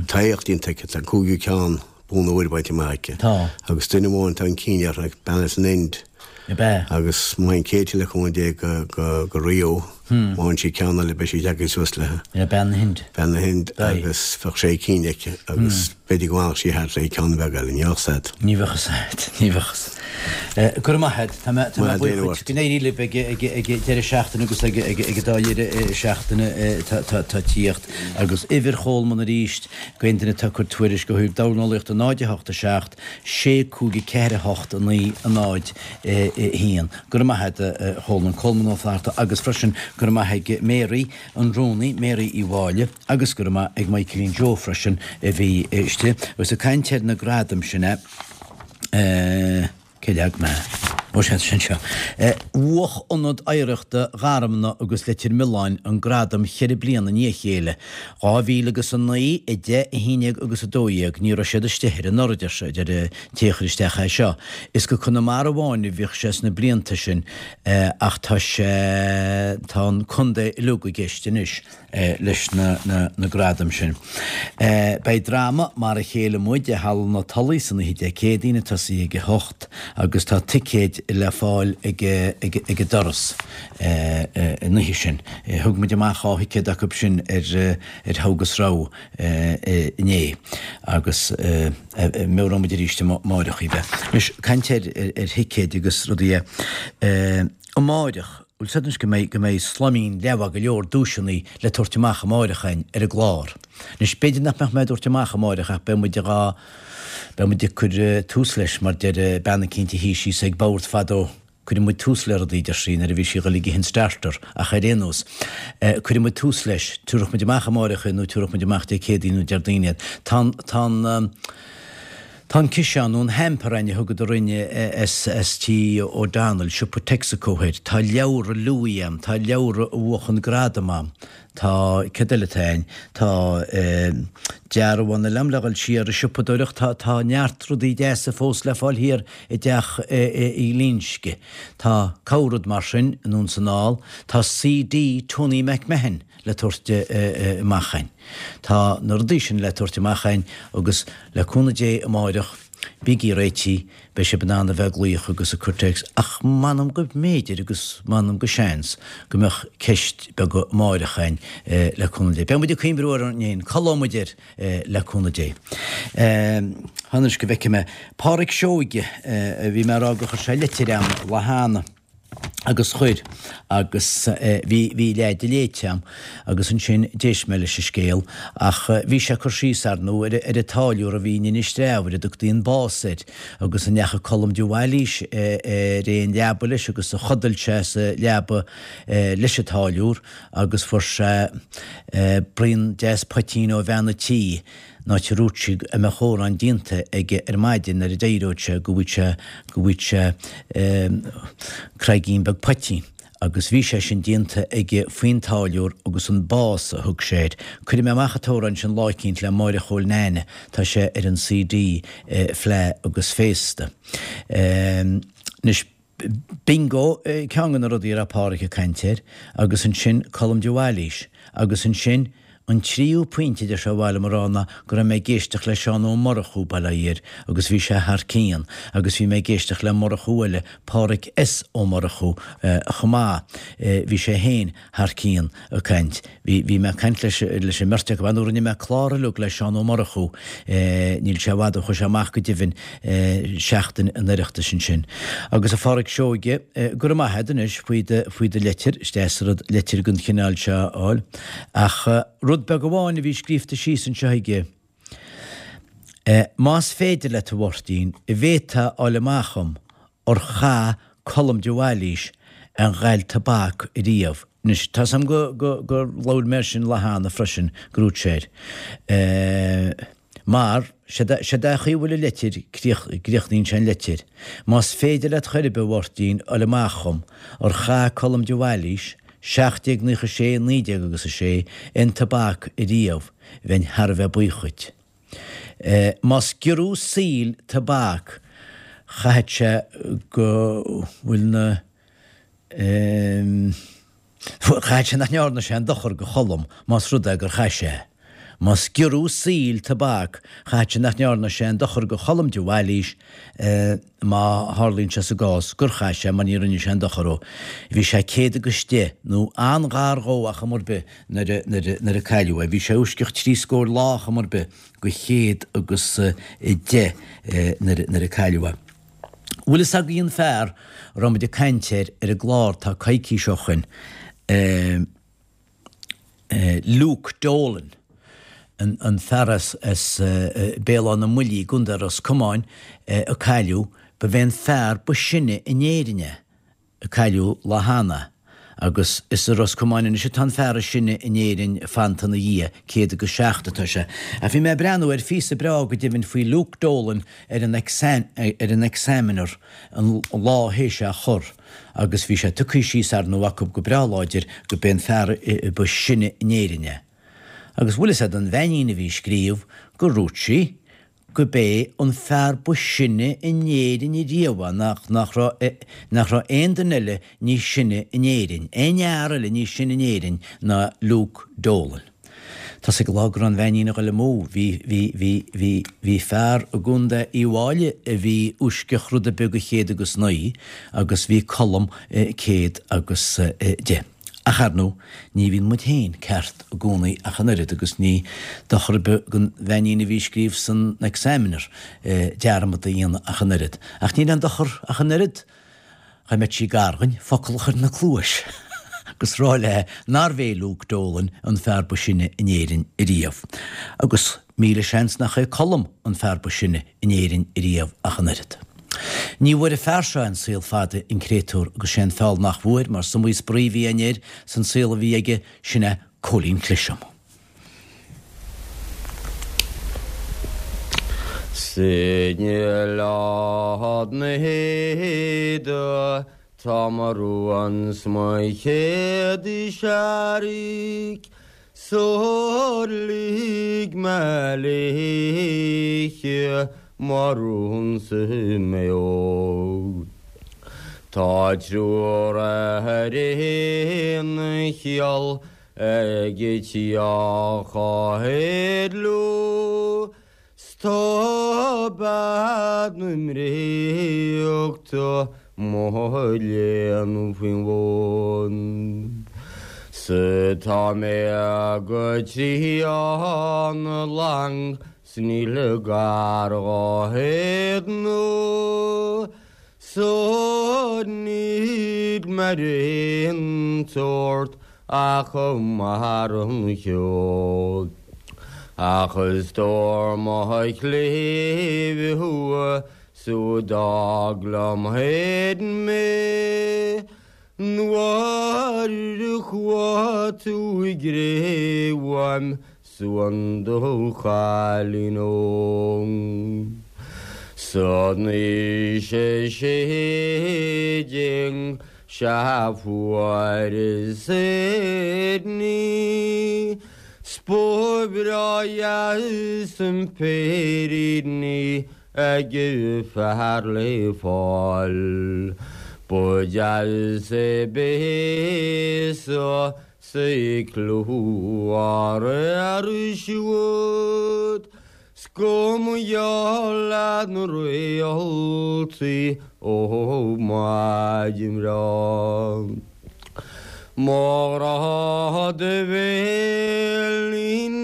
tá éacht iontach aici, tá an cúigiú ceann bonn óir bainte amach aici. Tá. Agus duine amháin atá chun cinn uirthi, bean as an Ind. Ab ea? Agus má théann Katie le cúnamh Dé go, go, go Rio, má fhaigheann sí ceann eile beidh sí tagtha suas léi. Yeah, bean na hInde. Bean na hInde agus bheadh sé cinn aici agus b'fhéidir go bhfanfadh sí thart le ceann beag eile, ní bheadh a fhios agat. Ní bheadh a fhios agat, ní bheadh a fhios. Go raibh maith agat. Tá mé, tá mé buíoch duit. Go n-éirí libh ag, ag, ag deireadh seachtaine agus ag, ag, ag an dá dheireadh seachtaine tá, tá, tá tíocht. Agus uimhir Cholman arís. D'aon duine atá ag cur tuairisc ó thaobh dornálaíochta náid a hocht a seacht, sé cúig a ceathair a hocht a naoi a náid a haon. Go raibh maith agat a Cholman, Colman Ó Flatharta agus freisin go raibh maith ag Mary, an rúnaí, Mary Uí Mháille agus go raibh maith ag Michaelín Joe freisin a bhí istigh. Agus ag caint ar na gradaim sin eh. Cé leag mé? Ó sea, tá sé anseo. Bhuach Ionad Oidhreachta Gharmna agus Leitir Mealláin an gradam cheithre bliana i ndiaidh a chéile, dhá mhíle agus a naoi, a deich, a haon déag agus a dó dhéag. Ní raibh siad istigh air anuraidh, a deir an té a chuir isteach é seo. Is go Conamara amháin a bhíodh sé sna blianta sin ach tá sé, tá an contae uilig i gceist anois. leis na gradaim sin. Beidh dráma Mar a Chéile Muid i Halla na Tulaí san oíche Dé Céadaoin ag tosaí ag a hocht agus tá ticéid le fáil ag an doras an oíche sin. Thug muid amach dhá thicéad acu sin ar Thogh agus Rogha inné agus meabhróidh muid arís amáireach iad. Anois, caint ar thicéid agus rudaí amáireach. Bhfuil 's agat anois go mbeidh, go mbeidh slaimín leath mhaith go leor duaiseanna le tabhairt amach amáireach againn ar an gclár. Anois, b'fhéidir nach mbeadh mé á dtabhairt amach amáireach ach beidh muid dhá, beidh muid ag cur tús leis mar deir bean eicínt a shuigh síos ag bord fadó, cuireann muid tús le rudaí, deir sí, nuair a bhí sí ag dul ag ithe an starter ach ar aon nós, cuireann muid tús leis, tabharfaidh muid amach amáireach é nó tabharfaidh muid amach Dé Céadaoin nó Déardaoin iad. Tá an, tá an. Tá an ciseán nó an hamper againn a thugadar orainn as tí O'Donnell, siopa Texaco thoir. Tá leabhra Louis a'm, tá leabhra a bhuachan gradam a'm, tá, céard eile atá a'inn, tá dearbhán eile a'm le dhul siar ag siopadóireacht, tá, tá neart rudaí deasa fós le fáil thiar i dteach Uí Loingsigh. Tá corr-rud mar sin anonn 's anall. Tá CD Tony McMahon le tabhairt amach a'inn. Tá na rudaí sin le tabhairt amach a'inn agus le cúnamh Dé amáireach Bígí réitithe, beidh sibh in ann a bheith ag glaoch agus ag cur téacs, ach m'anam go mb'fhéidir agus m'anam go seans go mbeadh ceist beag amáireach againn le cúnamh Dé. Beidh muid ag cuimhniú air ansin, codlóidh muid air le cúnamh Dé. Anois go bhfeicfidh mé. Páraic Seoige, bhí mé ag rá gur chuir sé litir a'm lá cheana. Agus chuir, agus bhí, bhí leath de léite a'm, agus ansin d'éist mé leis an scéal, ach bhí sé ag cur síos, ar ndóigh, ar, ar an táilliúr a bhí in Inis Treabhair, a dtugtaí an Boss air, agus a ndeachaigh Colm de Bhailís ar aon leaba leis agus a chodail sé sa leaba leis an táilliúr agus fuair sé braon deas poitín ó bhean a' tí. an áit a ndúirt sí go mbeadh arán déanta aige ar maidin nuair a d'éireodh sé go bhfaigheadh sé go bhfaigheadh sé craigín beag poitín agus bhí sé sin déanta aige faoin táilliúr agus an Boss a thug sé air. Cuirfidh mé amach an t-amhrán sin lá eicínt le Máire Chóil Neaine, tá sé ar an CD Fleadh agus Féasta. Anois Bingo ceann de na rudaí a raibh Páraic ag caint air agus ansin Colm de Bhailís agus ansin an tríú pointe a deir sé ba mhaith liom a rá ná go raibh mé ag éisteacht le Seán Ó Murchú, Baile Átha Fhirdh, agus bhí sé thar cionn agus bhí mé ag éisteacht le Murchú eile, Páraic S. Ó Murchú, chomh maith, bhí sé féin thar cionn ag caint. Bhí, bhí mé ag caint leis, leis an mbeirt acu, nó rinne mé clár uilig le Seán Ó Murchú, níl sé i bhfad ó chuaigh sé amach go deimhin, seachtain an Oireachtais ansin. Agus a Pháraic Seoige, go raibh maith agat anois faoi do, faoi do leitir, is deas an rud leitir den chineál seo a fháil. Ach rud beag amháin a bhí scríobhta síos anseo aige, Más féidir leat, a Mháirtín, an bhféadfá a fháil amach dhom ar chaith Colm de Bhailís aon ghail tobac ariamh. Anois, tá's a'm go, go, gur labhair mé air sin lá cheana freisin, go ndúirt sé air. Mar, sé an chaoi a bhfuil an leitir, críochnaíonn sé an leitir. Más féidir leat chor ar bith, a Mháirtín, fháil amach dhom, ar chaith Colm de Bhailís, seacht déag naocha sé, naoi déag agus a sé, aon tobac ariamh, bheinn thar a bheith buíoch dhuit. Más giorrú saoil tobac, chaithfeadh sé go bhfuil na. Chaithfeadh sé nach ndearna sé aon dochar go Cholm más rud é gur chaith sé. Más giorrú saoil tobac, chaithfeadh sé nach ndearna sé aon dochar go Cholm de Bhailís má tharlaíonn sé sa gcás gur chaith sé mar ní rinne sé aon dochar dhó. Bhí sé céad agus deich nó an-ghar dhó ach am ar bith nuair a nuair a cailleadh é. Bhí sé uaisceach trí scór lá ach am ar bith go chéad agus deich nuair a cailleadh é. Bhfuil fhios agaibh an fear a raibh muid ag caint air ar an gclár tá coicís ó shoin, Luke Dolan, an fear as Béal Átha na mBuillí i gContae Ros Comáin a cailleadh, ba bhé an fear ba sine in Éirinn é. a cailleadh lá cheana, agus is i Ros Comáin anois atá an fear is sine in Éirinn fanta ina dhiaidh, céad agus seacht atá sé. Ach bhí mé ag breathnú ar phíosa breá go deimhin faoi Luke Dolan ar an ar an Examiner an lá théis é a chur, agus bhí sé tugtha síos ar ndóigh acu go breá láidir go b'é an fear ba sine in Éirinn é. Agus bhfuil fhios a'd an bheainín a bhí ag scríobh gur dhúirt sí go b'é an fear ba sine in Éirinn ariamh é, nach, nach raibh, nach raibh aon duine eile níos sine in Éirinn, aon fhear eile níos sine in Éirinn ná Luke Dolan. Tá's ag an lá go raibh an bheainín a ghoil amú, bhí, bhí, bhí, bhí, bhí fear i gContae Uíbh Fháilí a bhí uaisceach rud ar bith go chéad agus naoi agus bhí Colm céad agus deich. Ach ar ndóigh, ní bhíonn muid féin ceart i gcónaí ach an oiread agus ní dochar ar bith don bheainín a bhí ag scríobh san Examiner dearmad a dhéanamh ach an oiread. Ach níl aon dochar ach an oiread dhá mbeadh sí gar dhuinn focal a chur ina cluais agus rá léi nárbh é Luke Dolan an fear ba sine in Éirinn ariamh. Agus míle seans nach é Colm an fear ba sine in Éirinn ariamh ach an oiread. Ní bhfuair an fear seo aon saol fada an créatúr agus sé an feall nach bhfuair mar is iomaí spraoi a bhí againn air san saol a bhí aige, sin é Cóilín Cliseam. Sin Oileán na hÉide tá mo rún 's mo chéad searraigh Sular lig mé léithe mo rún sa Maigh Eo. Tá triúr ar aon chiall ag teach Átha Lú. 's tá bean na mbréachta mo léan faoin bhun. 'S tá mé go trían lang 's níl gar dhá héadnú So níl mar aon tsórt ach mar an cheol. Ach is stór mo chléibh thú so d'fhág liom féin mé Nuair a chuaigh tú i gcré uaim suan do chailín óg. San aois a sé déag sea fuaireas í 's ba bhreá dheas an féirín í ag fear le fáil. Ba dheas é béasa 's é clú air siúd, 's go mba gheall leat na réaltaí ó maidin bhreá. Mo ghrá do bhéilín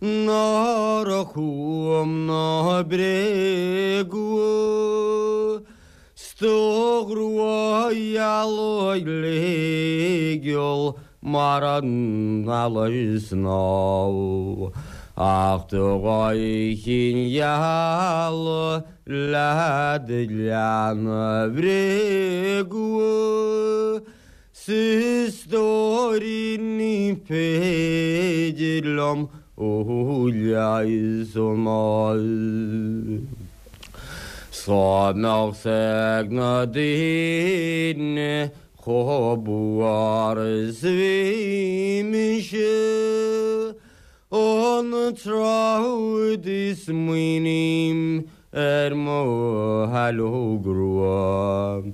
nár chugam ná bréagú, 's do ghrua gheal uilegeal mar an eala snámh. Ach do dhá chinn gheala le do leanbh bhréagú, 's a stóirín ní féidir liom ó leigheas an mall. 'S dá mbeadh 's ag na daoine chomh buartha is a bhí mise, an tráth údaí smaoiním ar mo shaileog rua,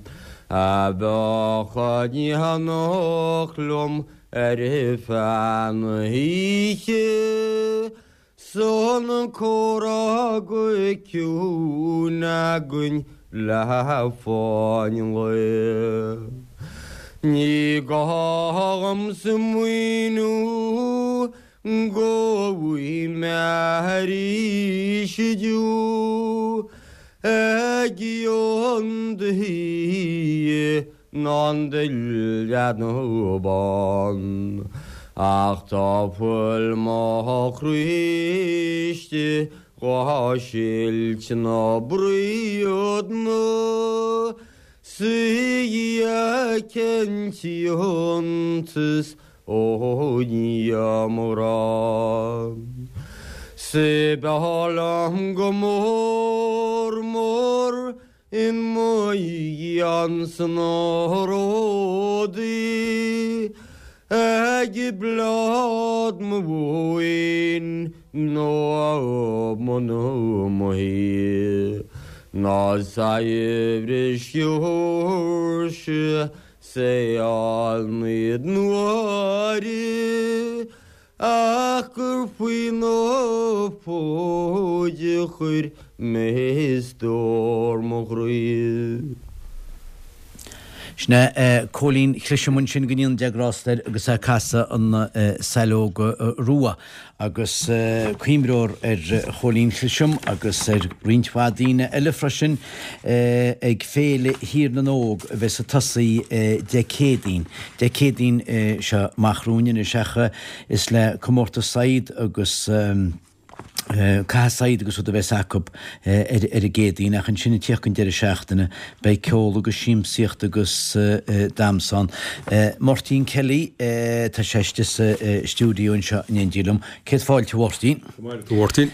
a bheadh in éineacht liom ar feadh na hoíche, 's an comhrá go ciúin againn le fáinne an lae. Ní gá dhom smaoineamh go bhfaighidh mé arís inniu ag an dtuí ná an duillead bán. Ach tá fuil mo chroí istigh dhá silt ná bruíon 's í a ciontas ó Dhia mo ghrá. 'S b'fhearr liom go mór mór i mo dhiaidh sna ródaí ag bláth mo mhóin nó mo mo thí ná saibhreas Sheoirsia seal naoi n-uaire ach gur faoi na fóid a chuir mé stór mo chroí. Sin é Cóilín Cliseam ansin go ndéana Dia grásta air agus é ag casadh an Saileog Rua agus cuimhneofar ar Chóilín Cliseam agus ar roinnt mhaith daoine eile freisin ag Féile Thír na nÓg a bheas ag tosaí Dé Céadaoin. Dé Céadaoin seo amach romhainn anois ach is le comórtas saighead agus caitheamh saighead agus rud a bheas acu ar ar an gCéadaoin ach ansin ag tíocht an deireadh seachtaine beidh ceol agus siamsaíocht agus damhsa ann. Máirtín Kelly, tá sé istigh sa stiúideo anseo in éindí liom. Céad fáilte a Mháirtín. Go maith a Mháirtín.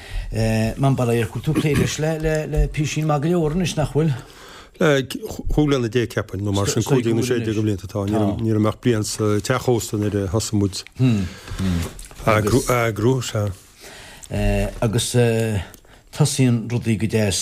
Mambaí ar tú plé leis le le le písín maith go leor anois nach bhfuil? Le chúig bliana déag ceapaim, nó mar sin cúig déag nó sé déag de bhlianta atá. Ní raibh mé ach bliain sa teach ósta nuair a thosaigh muid eagrú, sea. Agus Tosaíonn rudaí go deas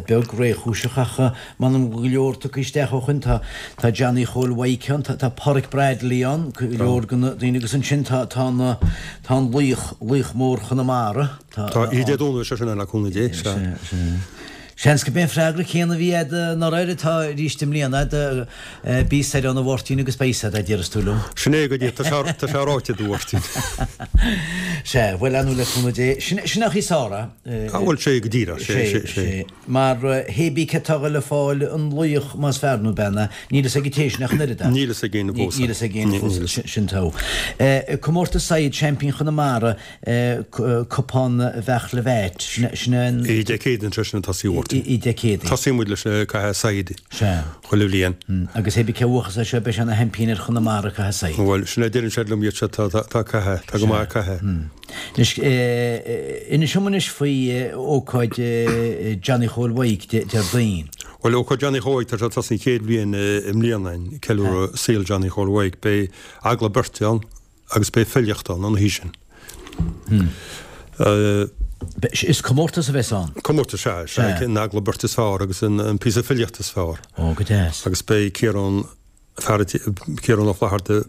beag réchúiseach ach m'anam go leor tugtha isteach ó shoin. Tá tá Johnny Chóil Mhaidhc ann, tá tá Páraic Bradley ann, go leor de na daoine agus ansin tá tá na tá an laoch, laoch mór Chonamara, tá Tá oíche Dé Domhnaigh sé sin ann le cúnamh Dé, sea. Sea, sea. Seans gurb é an freagra céanna a bhí agat anuraidh atá arís i mbliana agat, bí soir ann a Mháirtín agus beidh a fhios agat, a déarfas tú liom. Sin é go díreach, tá sé tá sé ráite agat a Mháirtín. Sea, bhuel, ar ndóigh le cúnamh Dé, sin sin an chaoi is fearr é. Ah bhuel, sé go díreach, sé, sé, sé. Mar hé bí cé atá le fáil an laoch más fear nó bean é, níl fhios ag an té sin ach an oiread é. Níl fhios ag éinne fós. Níl fhios ag éinne fós, sin togha. Comórtas Saighead Seaimpín Chonamara, Cupán Bheartla Mheait, sin an. Oíche Dé Céadaoin sé sin ag tosaí a Mháirtín. Oíche Dé Céadaoin. Tosaíonn muid leis ag caitheamh saighead. Sea. Chuile bhliain. Agus hé bí cé bhuachas é seo beidh sé ina sheaimpín ar Chonamara ag caitheamh saighead. Bhuel, sin é deireann siad liom iad seo tá ag caitheamh, tá go maith ag caitheamh. Anois, inis dom anois faoi ócáid Johnny Chóil Mhaidhc Déardaoin. Bhuel, ócáid Johnny Chóil Mhaidhc, tá sé ag tosaí an chéad bhliain i mbliana, ceiliúradh saol Johnny Chóil Mhaidhc. Beidh agallamh beirte ann. Agus beidh filíocht ann an oíche sin. Is comórtas a bheas ann? Comórtas, sea. Sea. An agallamh beirte is fearr agus an píosa filíochta is fearr. Ó, go deas. Agus beidh Ciarán, fear, Ciarán Ó Flatharta,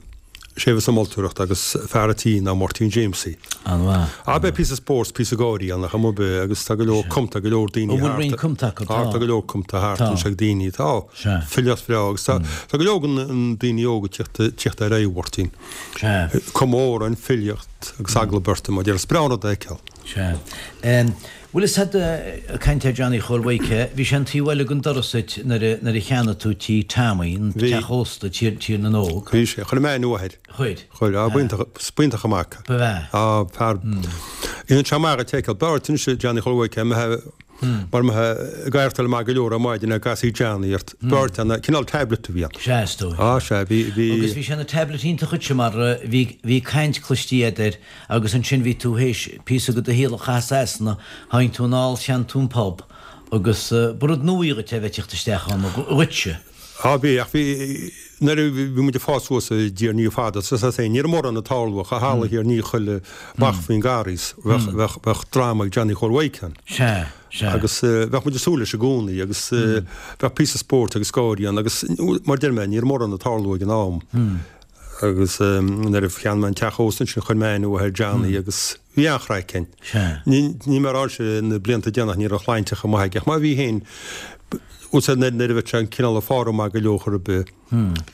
sé a bheas ag moltóireacht agus fear a' tí ná Máirtín Jamesie. An-mhaith. Ah, beidh píosa spóirt, píosa gáirí ann, ach amuigh beidh, agus tá go leor cumta, go leor daoine An bhfuil thart. roinnt cumta acu? Tá, tá go leor cumta thart Tá. anseo ag daoine. Tá. Sea. Filíocht bhreá agus tá, tá go leor den daoine óga ag tíocht, tíocht ar aghaidh, a Mháirtín. Sea. Comóradh an filíocht agus agallamh beirte, mar a déarfá. Is breá an rud é a fheiceáil. Sea. Bhfuil fhios a'd, ag caint ar Johnny Chóil Mhaidhc, bhí sé an taobh eile den doras duit nuair a, nuair a cheannaigh tú tí Tommy, an Bhí. teach ósta, Tír, Tír na nÓg. Bhí sé. Chuir mé aithne mhaith air. Chuir. Chuir. Á, b'iontach, b'iontach an mac. Ba bhea. Á, fear. Dhéanann sé amach a tseiceáil. B'fhearr duit anois Johnny Chóil Mhaidhc, mbeifeá, mar mbeifeá ag aireachtáil maith go leor ar maidin a gcasfaí Johnny ort. B'fhearr duit an cineál tablet a bhí ann. Sea, is dóigh. Á, sea, bhí, bhí. Agus bhí sé ina tablet iontach dhuitse mar bhí, bhí caint cloistí a'd air agus ansin bhí tú théis píosa de do shaol a chaitheamh i Sasana, tháinig tú anall, cheannaigh tú an pub agus ba rud nua dhuit é a bheith ag tíocht isteach ann, dhuitse. Á, bhí, ach bhí, nuair a bhí muid ag fás suas i dTír an Fhia fada, sa sa féin, ní raibh mórán ag tarlú ach a tharla thiar ní chuile amach faoin nGarraí, bheadh, bheadh, bheadh dráma ag Johnny Chóil Mhaidhc ann. Sea, sea. Agus bheadh muid ag súil leis i gcónaí agus bheadh píosa spóirt agus gáirí ann agus mar a deir mé, ní raibh mórán ag tarlú ag an am. Agus nuair a cheannaigh mé an teach ósta ansin chuir mé aithne mhaith ar Johnny agus bhí an-chraic againn. Sea. Ní, ní mar a sé na blianta déanach ní raibh a shláinte chomh maith aige ach má bhí féin, Úsáid nuair a bheadh sé an cineál ag fáil maith go leor chor ar bith,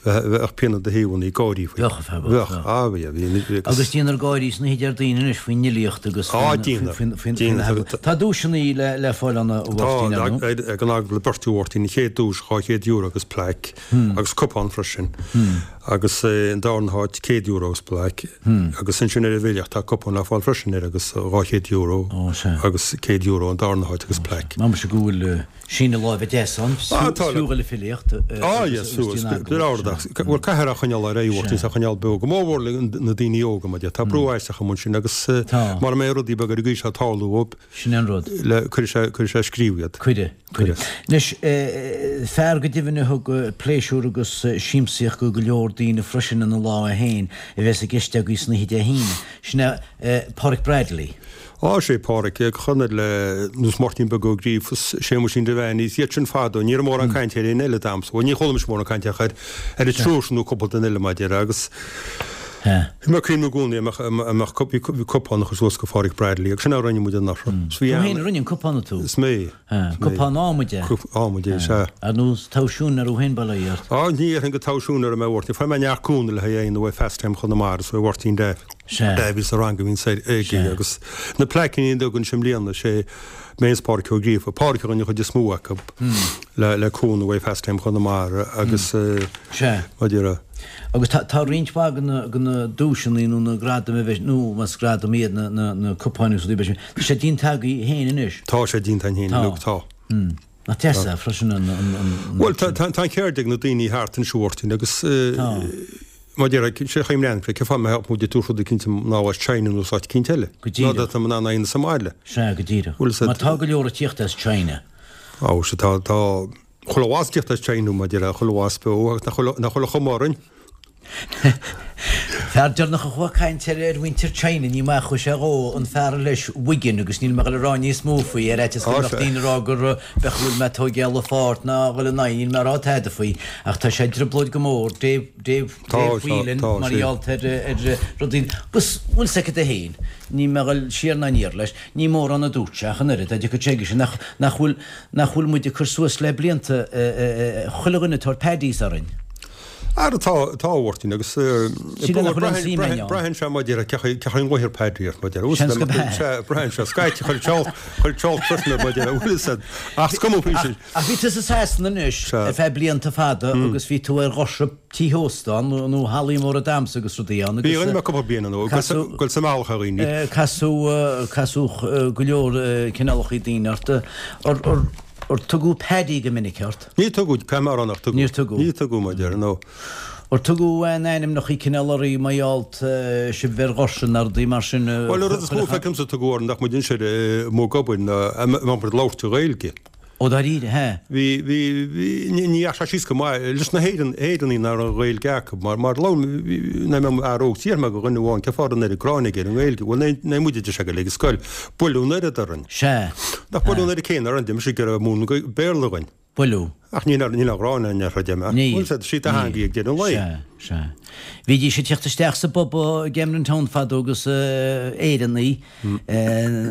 bheadh pian i do thaobh ann, gáirí faoi. Bheadh, bheadh, Bheadh, á bhí, bhí, bhí agus. Agus déantar gáirí san oíche Déardaoin anois faoin fhilíocht agus Á, faoin, déantar, faoin, faoin, déantar. faoin eagla. Tá duaiseanna le, le fáil ann a Tá, Mháirtín, ar ndóigh. ag an agallamh beirte a Mháirtín, an chéad duais dhá chéad euro agus plaic agus cupán freisin agus an darna háit céad euro agus plaic agus ansin ar an bhfilíocht tá cupán le fáil freisin air agus dhá chéad euro Ó, sea. agus céad euro an darna háit agus plaic. M'anamsa go bhfuil síneadh láimhe deas ann, Ah, tá fiú le filíocht Ah, agus yes, agus suas. déan B'fhéidir agallamh, ardach. sea. Bhuel, caithfear a choinneáil ar aghaidh, Sea. a choinneáil beo. Go mór mhór le na daoine óga, mar tá brú aisteach amuigh ansin agus Tá. mara mbeidh rudaí beaga ar an gcaoi seo ag tarlú dóibh, Sin an rud. le cuirfidh sé cuirfidh sé ag scríobh iad. Cuireadh, cuireadh. Cuireadh. Anois, fear go deimhin a thug pléisiúr agus siamsaíocht go go leor daoine freisin ina lá é féin a bheas i gceist agaibh san oíche Dé hAoine. Sin é Páraic Bradley. Á, sé Páraic, ag chonradh le nós Máirtín Beag Ó Gríofa is Séamuisín Devaney, is iad sin fadó, ní raibh mórán cainte ar éinne eile d'aimsir, bhuel ní chuala mise mórán cainte ach ar ar an triúr sin nó cúpla duine eile mar a déarfá agus bhí mé ag cuimhniú i gcónaí a mbeadh a mbeadh bhí cupán a chur suas go Pháraic Bradley agus sin a rinne muid anuraidh. Is bhí Tú an féin a rinne an cupán, nó tú? Is mé, is mé. Cupán adhmaid é? Cupán adhmaid é, sea. Ar nós toghsiún ar thú féin bail ó Dhia ort? Á, ní dhéarfainn gur toghsiún ar mé a Mháirtín, fuair mé neart cúnamh le haghaidh aon uaidh Fast Time Chonamara is uaidh Mháirtín Davy. Sea. Davy sa rang a bhíonn aige Sea. agus na plaiceanna a dtugann sé i mbliana, sé mé is Pádraic Ó Gríofa, Pádraic a rinne an chuid is mó acu le le cúnamh uaidh Fast Time Chonamara agus Sea. mar a déarfá. Agus tá tá roinnt mhaith de na de na duaiseanna nó na gradaim a bheidh nó más gradaim iad na na na cupáin agus rudaí beidh sé tá sé déanta agaibh féin anois. Tá sé déanta againn féin Tá. uilig, tá. Nach deas é freisin an an an Bhuel tá tá tá an cheird ag na daoine thart anseo a Mháirtín agus Tá. Mar a déarfá, sé chaoi mleán, cé fáth mbeadh muid ag tabhairt rud eicínt ná as China nó as áit eicínt eile. Go díreach. Ná tá in ann é sa mbaile. Sea, go díreach. Bhfuil fhios Mar a'd. tá go leor ag tíocht as China. Á, sea, tá, tá chuile mhaith ag tíocht as China, mar a déarfá, chuile mhaith beo agus nach bhfuil, nach bhfuil a chuma orainn. Fear deireanach a chuaigh ag caint ar ar mhuintir China, ní maith a chuaigh sé dhó, an fear leis Wigan agus níl mé ag dul a rá níos mó faoi, ar fhaitíos go mbeadh daoine ag rá gur beadh go bhfuil mé ag tóigeáil a pháirt ná a dhul in aghaidh, níl mé ag rá tada faoi ach tá sé i dtrioblóid go mór, Dave, Dave, Dave Whelan mar gheall ar ar rudaí agus bhfuil 's agat féin, níl mé ag dul siar ná aniar leis, ní mórán a dúirt sé ach an oiread, dá dtiocfadh sé aige sin nach nach bhfuil nach bhfuil muid ag cur suas le blianta chuile dhuine ag tabhairt paddies orainn. Ara tá, tá a Mháirtín agus Sílim nach bhfuil aon suim againn ann. braitheann sé maidir le cé chaoi an nglaothar paddy ort maidir le Seans go b'ea. Sea, braitheann sé. Scaití chuir Charles, chuir Charles freisin air maidir le bhfuil fhios a'd. Ach is cuma faoi sin. Ach bhí tú sa Sasana anois Sea. ar feadh blianta fada agus bhí tú ar dhoirse tithe óstán nó nó hallaí móra damhsa agus rudaí ann Bhí agus rinne mé cúpla bliain ann, casadh goil sa mbealach ar dhaoine. casadh casadh go leor cineálacha daoine ort. Ar ar Ar tugadh Paddy go minic ort? Ní tugadh, caithfidh mé a rá nach tugadh. Níor tugadh. Ní tugadh, mar deir, no. Ar tugadh aon ainmneacha cineál oraibh mar gheall sibh ar dhoirse nó rudaí mar sin? Bhuel, an rud is mó feicimse a tugadh orainn nach muid ansin amuigh ag obair ná a mbeadh muid ag labhairt i Ghaeilge. Ó dáiríre, hea? Bhí, bhí, bhí, ní dheachaigh sé síos go maith leis na hÉireann, Éireannaigh nach raibh an Ghaeilge acu mar, mar labhair, nuair a bhí mé óg d'fhiafraigh mé de dhuine amháin cén fáth a raibh an oiread gráin aige ar an nGaeilge. Bhuel, ní muid a deir sé ag an scoil. Buaileadh an oiread orainn. Sea. Nach buaileadh an oiread céanna orainn, d'imigh sé go raibh múineadh Béarla againn. Buaileadh. Ach níl níl aon ghráin againn ar chuid eile. Níl. Bhuel, sea, sí do theanga í ag deireadh an lae. Sea, sea. Bhídís ag teacht isteach sa bpub i gCamden Town fadó agus Éireannaigh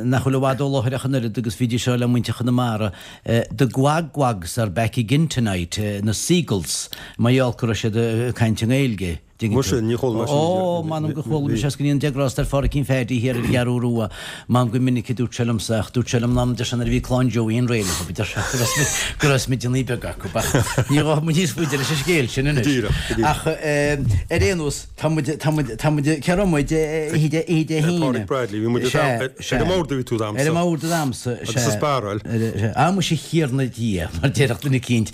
nach bhfuil i bhfad ó láthair ach an oiread agus bhídís ag rá le muintir Chonamara, The Gwag Gwags are back again tonight, na seagulls, mar gheall go raibh siad ag caint i nGaeilge. Muise, ní chuala mé sin. Ó, m'anam go chuala mise as go ndéana Dia grásta ar Pháraic Pheaidí thiar ar an gCeathrú Rua. M'anam gur minic a dúirt sé liomsa, ach dúirt sé liom an am deir sé nuair a bhí clann Joey an réidh acu, deir sé go raibh smid, go raibh smideanna beaga acu, ach ní ghabhfaidh muid níos faide leis an scéal sin anois. Go díreach, go díreach. Ach ar aon nós, tá muid, tá muid, tá muid, cé raibh muid, oíche Dé, oíche Dé hAoine. Pádraig Bradley, bhí muid Sea, ar sea. an mbord a bhí tú damsa. Ar an mbord damsa, sea. Agus sa spáráil. Sea. Ah, muise a Thiarna Dia, mar déarfadh duine eicínt.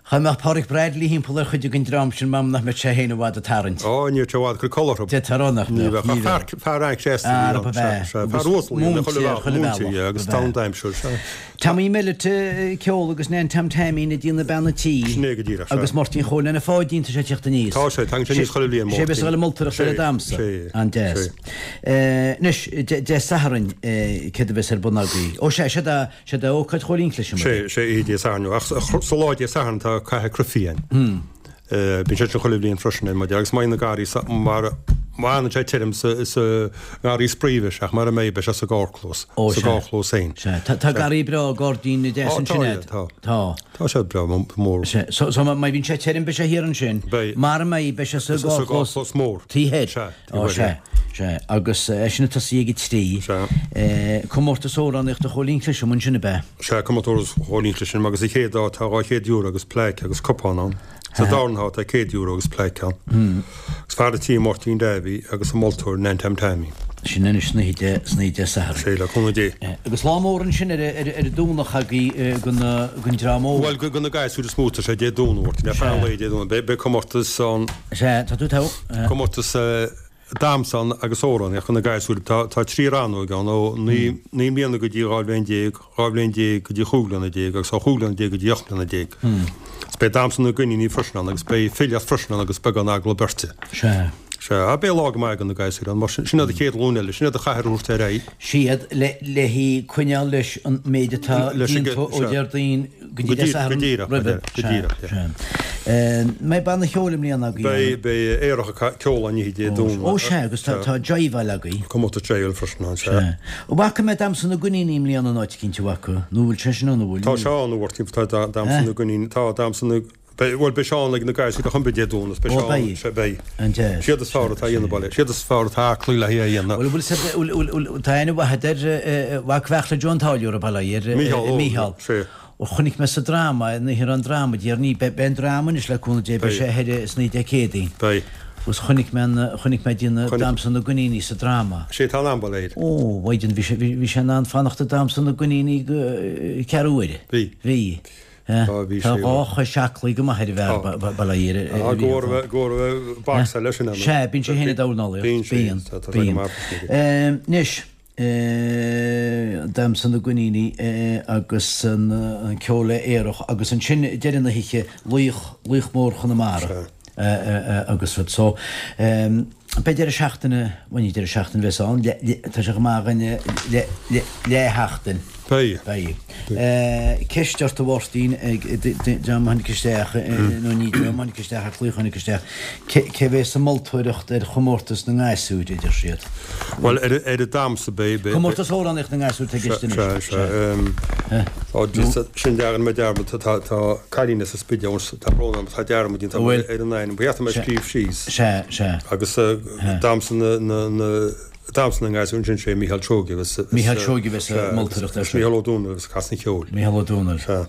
Dá mbeadh Pádraig Bradley thimpeall ar chuid den dream sin, m'anam nach mbeadh sé féin i bhfad ag tarraingt. Ó, ní raibh sé i bhfad ag cur codladh orthu. D'fhéadfá a rá nach Ní mbeadh, bheadh. ní Ach bheadh. fear, fear an-chréasta a bhí Arb ann, ab ea. sea, sea. Agus Fear uasal a bhí ann, chuile múinteoir bhealach, chuile múinteoir, bhealach, yeah, agus ab ea. teann d'aimsir, sea. Tommy Mellett, ceol agus Nan Tom Taimín ag déanamh bean an tí. Sin é go díreach, sea. Agus Máirtín Chóil lena Pháidín, tá sé ag teacht aníos. Tá sé, tagann sé aníos chuile bhliain, Sé Máirtín. bheas ag dul ag moltóireacht ar Sé, an damhsa. sé, An-deas. sé. Anois, Dé Sathairn, céard a bheas ar bun agaibh? Ó sea, sé do, sé do ócáid Chóilín Clisim. Sé, sé oíche Dé Sathairn, ach sa lá Dé Sathairn tá cath cruifí ann. Bíonn sé sin chuile bhliain freisin ar maidin agus má bhíonn na garraí sa, mar, má fhanann sé tirim sa, sa ngarraí spraoi bheidh sé ach mara mbeidh beidh sé sa gcarrchlós, Ó, sa sea. gcarrchlós féin. Sea, tá, tá garraí breá gairdín deas Ó, tá, ansin yeah, a'd. tá. Tá. Tá sé breá mór. Sea, so, so má bhíonn sé tirim beidh sé thiar ansin. Beidh. Mara mbeidh beidh sé sa Sa gcarrchlós. gcarrchlós mór. Taobh thoir. Sea, taobh Ó, thoir, sea, yeah. sea. Agus é sin ag tosaí ag a trí. Sea. Comórtas amhránaíochta Chóilín Clisim ansin ab ea? Sea, comórtas Chóilín Clisim agus sa chéad áit tá dhá chéad euro agus plaic agus cupán ann. Sa darna háit tá céad euro agus plaic ann. Agus fear an tí Máirtín Davy agus an moltóir Nan Tom Taimín. Sin anois san oíche Dé, san oíche Dé Sathairn. Sea, le cúnamh Dé. Agus lá mór ansin ar ar ar an Domhnach agaibh gon gon dream óg. Bhuel, go na gasúir is mó tá sé Dé Domhnaigh, Mháirtín, ar feadh an lae Dé Domhnaigh. Beidh beidh comórtas ann. Sea, tá tú togha. Comórtas damhsa ann agus amhránaíocht do na gasúir. Tá tá trí rannóg ann, ó naoi naoi mbliana go dtí dhá bhliain déag, dhá bhliain déag go dtí chúig bliana déag agus ó chúig bliana déag go dtí ocht mbliana déag. Agus beidh damhsa na gcoiníní freisin ann agus beidh filíocht freisin ann agus beagán agallamh beirte. Sea. Sea, á beidh lá go maith ag na gasúir ann mar sin sin iad an chéad ghlúin eile, sin iad a chaithfear a thabhairt ar aghaidh. Siad le le hí coinneáil leis an méid atá Leis an déanta gce- ó sea. Déardaoin go dtí Go Dé díreach, Sathairn go díreach, roimhe. go díreach, Sea, yeah. sea. Mbeidh banna cheoil i mbliana agaibh? Beidh, beidh Aerach ag ceol an oíche Dé Domhnaigh. Ó sea, agus tá tá jiveáil agaibh. Comórtas jiveáil freisin ann, sea. Sea. An bhfaca mé Damhsa na gCoiníní i mbliana in áit eicínt, an bhfaca? Nó bhfuil sé sin ann, an bhfuil? Tá sé ann, a Mháirtín, tá Damhsa na gCoiníní, tá Damhsa na, beidh, bhuel beidh sé ann ag na gasúir a chum Dé Domhnaigh, beidh Ó sé ann, beidh. sea, beidh. An-deas. Siad is fearr atá a dhéanamh baile, siad is fearr atá aclaí le hé a dhéanamh. Bhuel, bhfuil, bhfuil, bhfuil, bhfuil, tá aithne mhaith agat ar mhac Bheartla Joe an Táilliúra, bail ó Dhia air, Mícheál, ó, Mícheál. sea. Ó chonaic mé sa dráma, an oíche an dráma, déarnaí, beidh an dráma anois le cúnamh Dé, beidh sé thoir san oíche Dé Céadaoin. Beidh. Agus chonaic mé an, chonaic mé déanamh Damhsa na gCoiníní sa dráma. Sé tá an ambal air. Ó, mhaighdean, bhí sé, bhí sé in ann fanacht ag damhsa na gcoiníní go ceathrú uaire. Bhí. Bhí. Tá, bhí Tá sé. dhá chois aclaí go maith ar an bhfear, bail ó Dhia air. Tá, go raibh, go raibh boxáil leis an am. Sea, bíonn sé féin ag dornálaíocht. Bíonn sé, Bíonn, tá, tá sé go bíonn. maith freisin. Anois, Damhsa na gCoiníní agus an ceol aerach agus ansin deireadh na hoíche, Laoch, Laoch Mór Chonamara. Agus rud so. Beidh deireadh seachtaine, bhuel ní deireadh seachtaine a bheas ann, tá sé go maith againn leathsheachtain. Beidh. Beidh. Ceist ort a Mháirtín, ag dream a tháinig isteach, nó ní dream a tháinig isteach ach laoch a tháinig isteach, cé bheas ag moltóireacht ar chomórtas na ngasúr, a deir siad. Bhuel, ar an damhsa beidh. Comórtas amhránaíocht na ngasúr atá i gceist anois. Sea, sea. Tá, sin dearmad mé dearmad, tá cailín as an Spidéal, tá brón orm, tá dearmad déanta agam ar an ainm, ba cheart dom é a scríobh síos. Sea, sea. Agus damhsa na, na, na, damhsa na ngasúr ansin sé Mícheál Seoige a bheas. Mícheál Seoige a bheas ag moltóireacht air sin. Mícheál Ó Dónaill a bheas ag casadh an cheoil. Mícheál Ó Dónaill. Sea.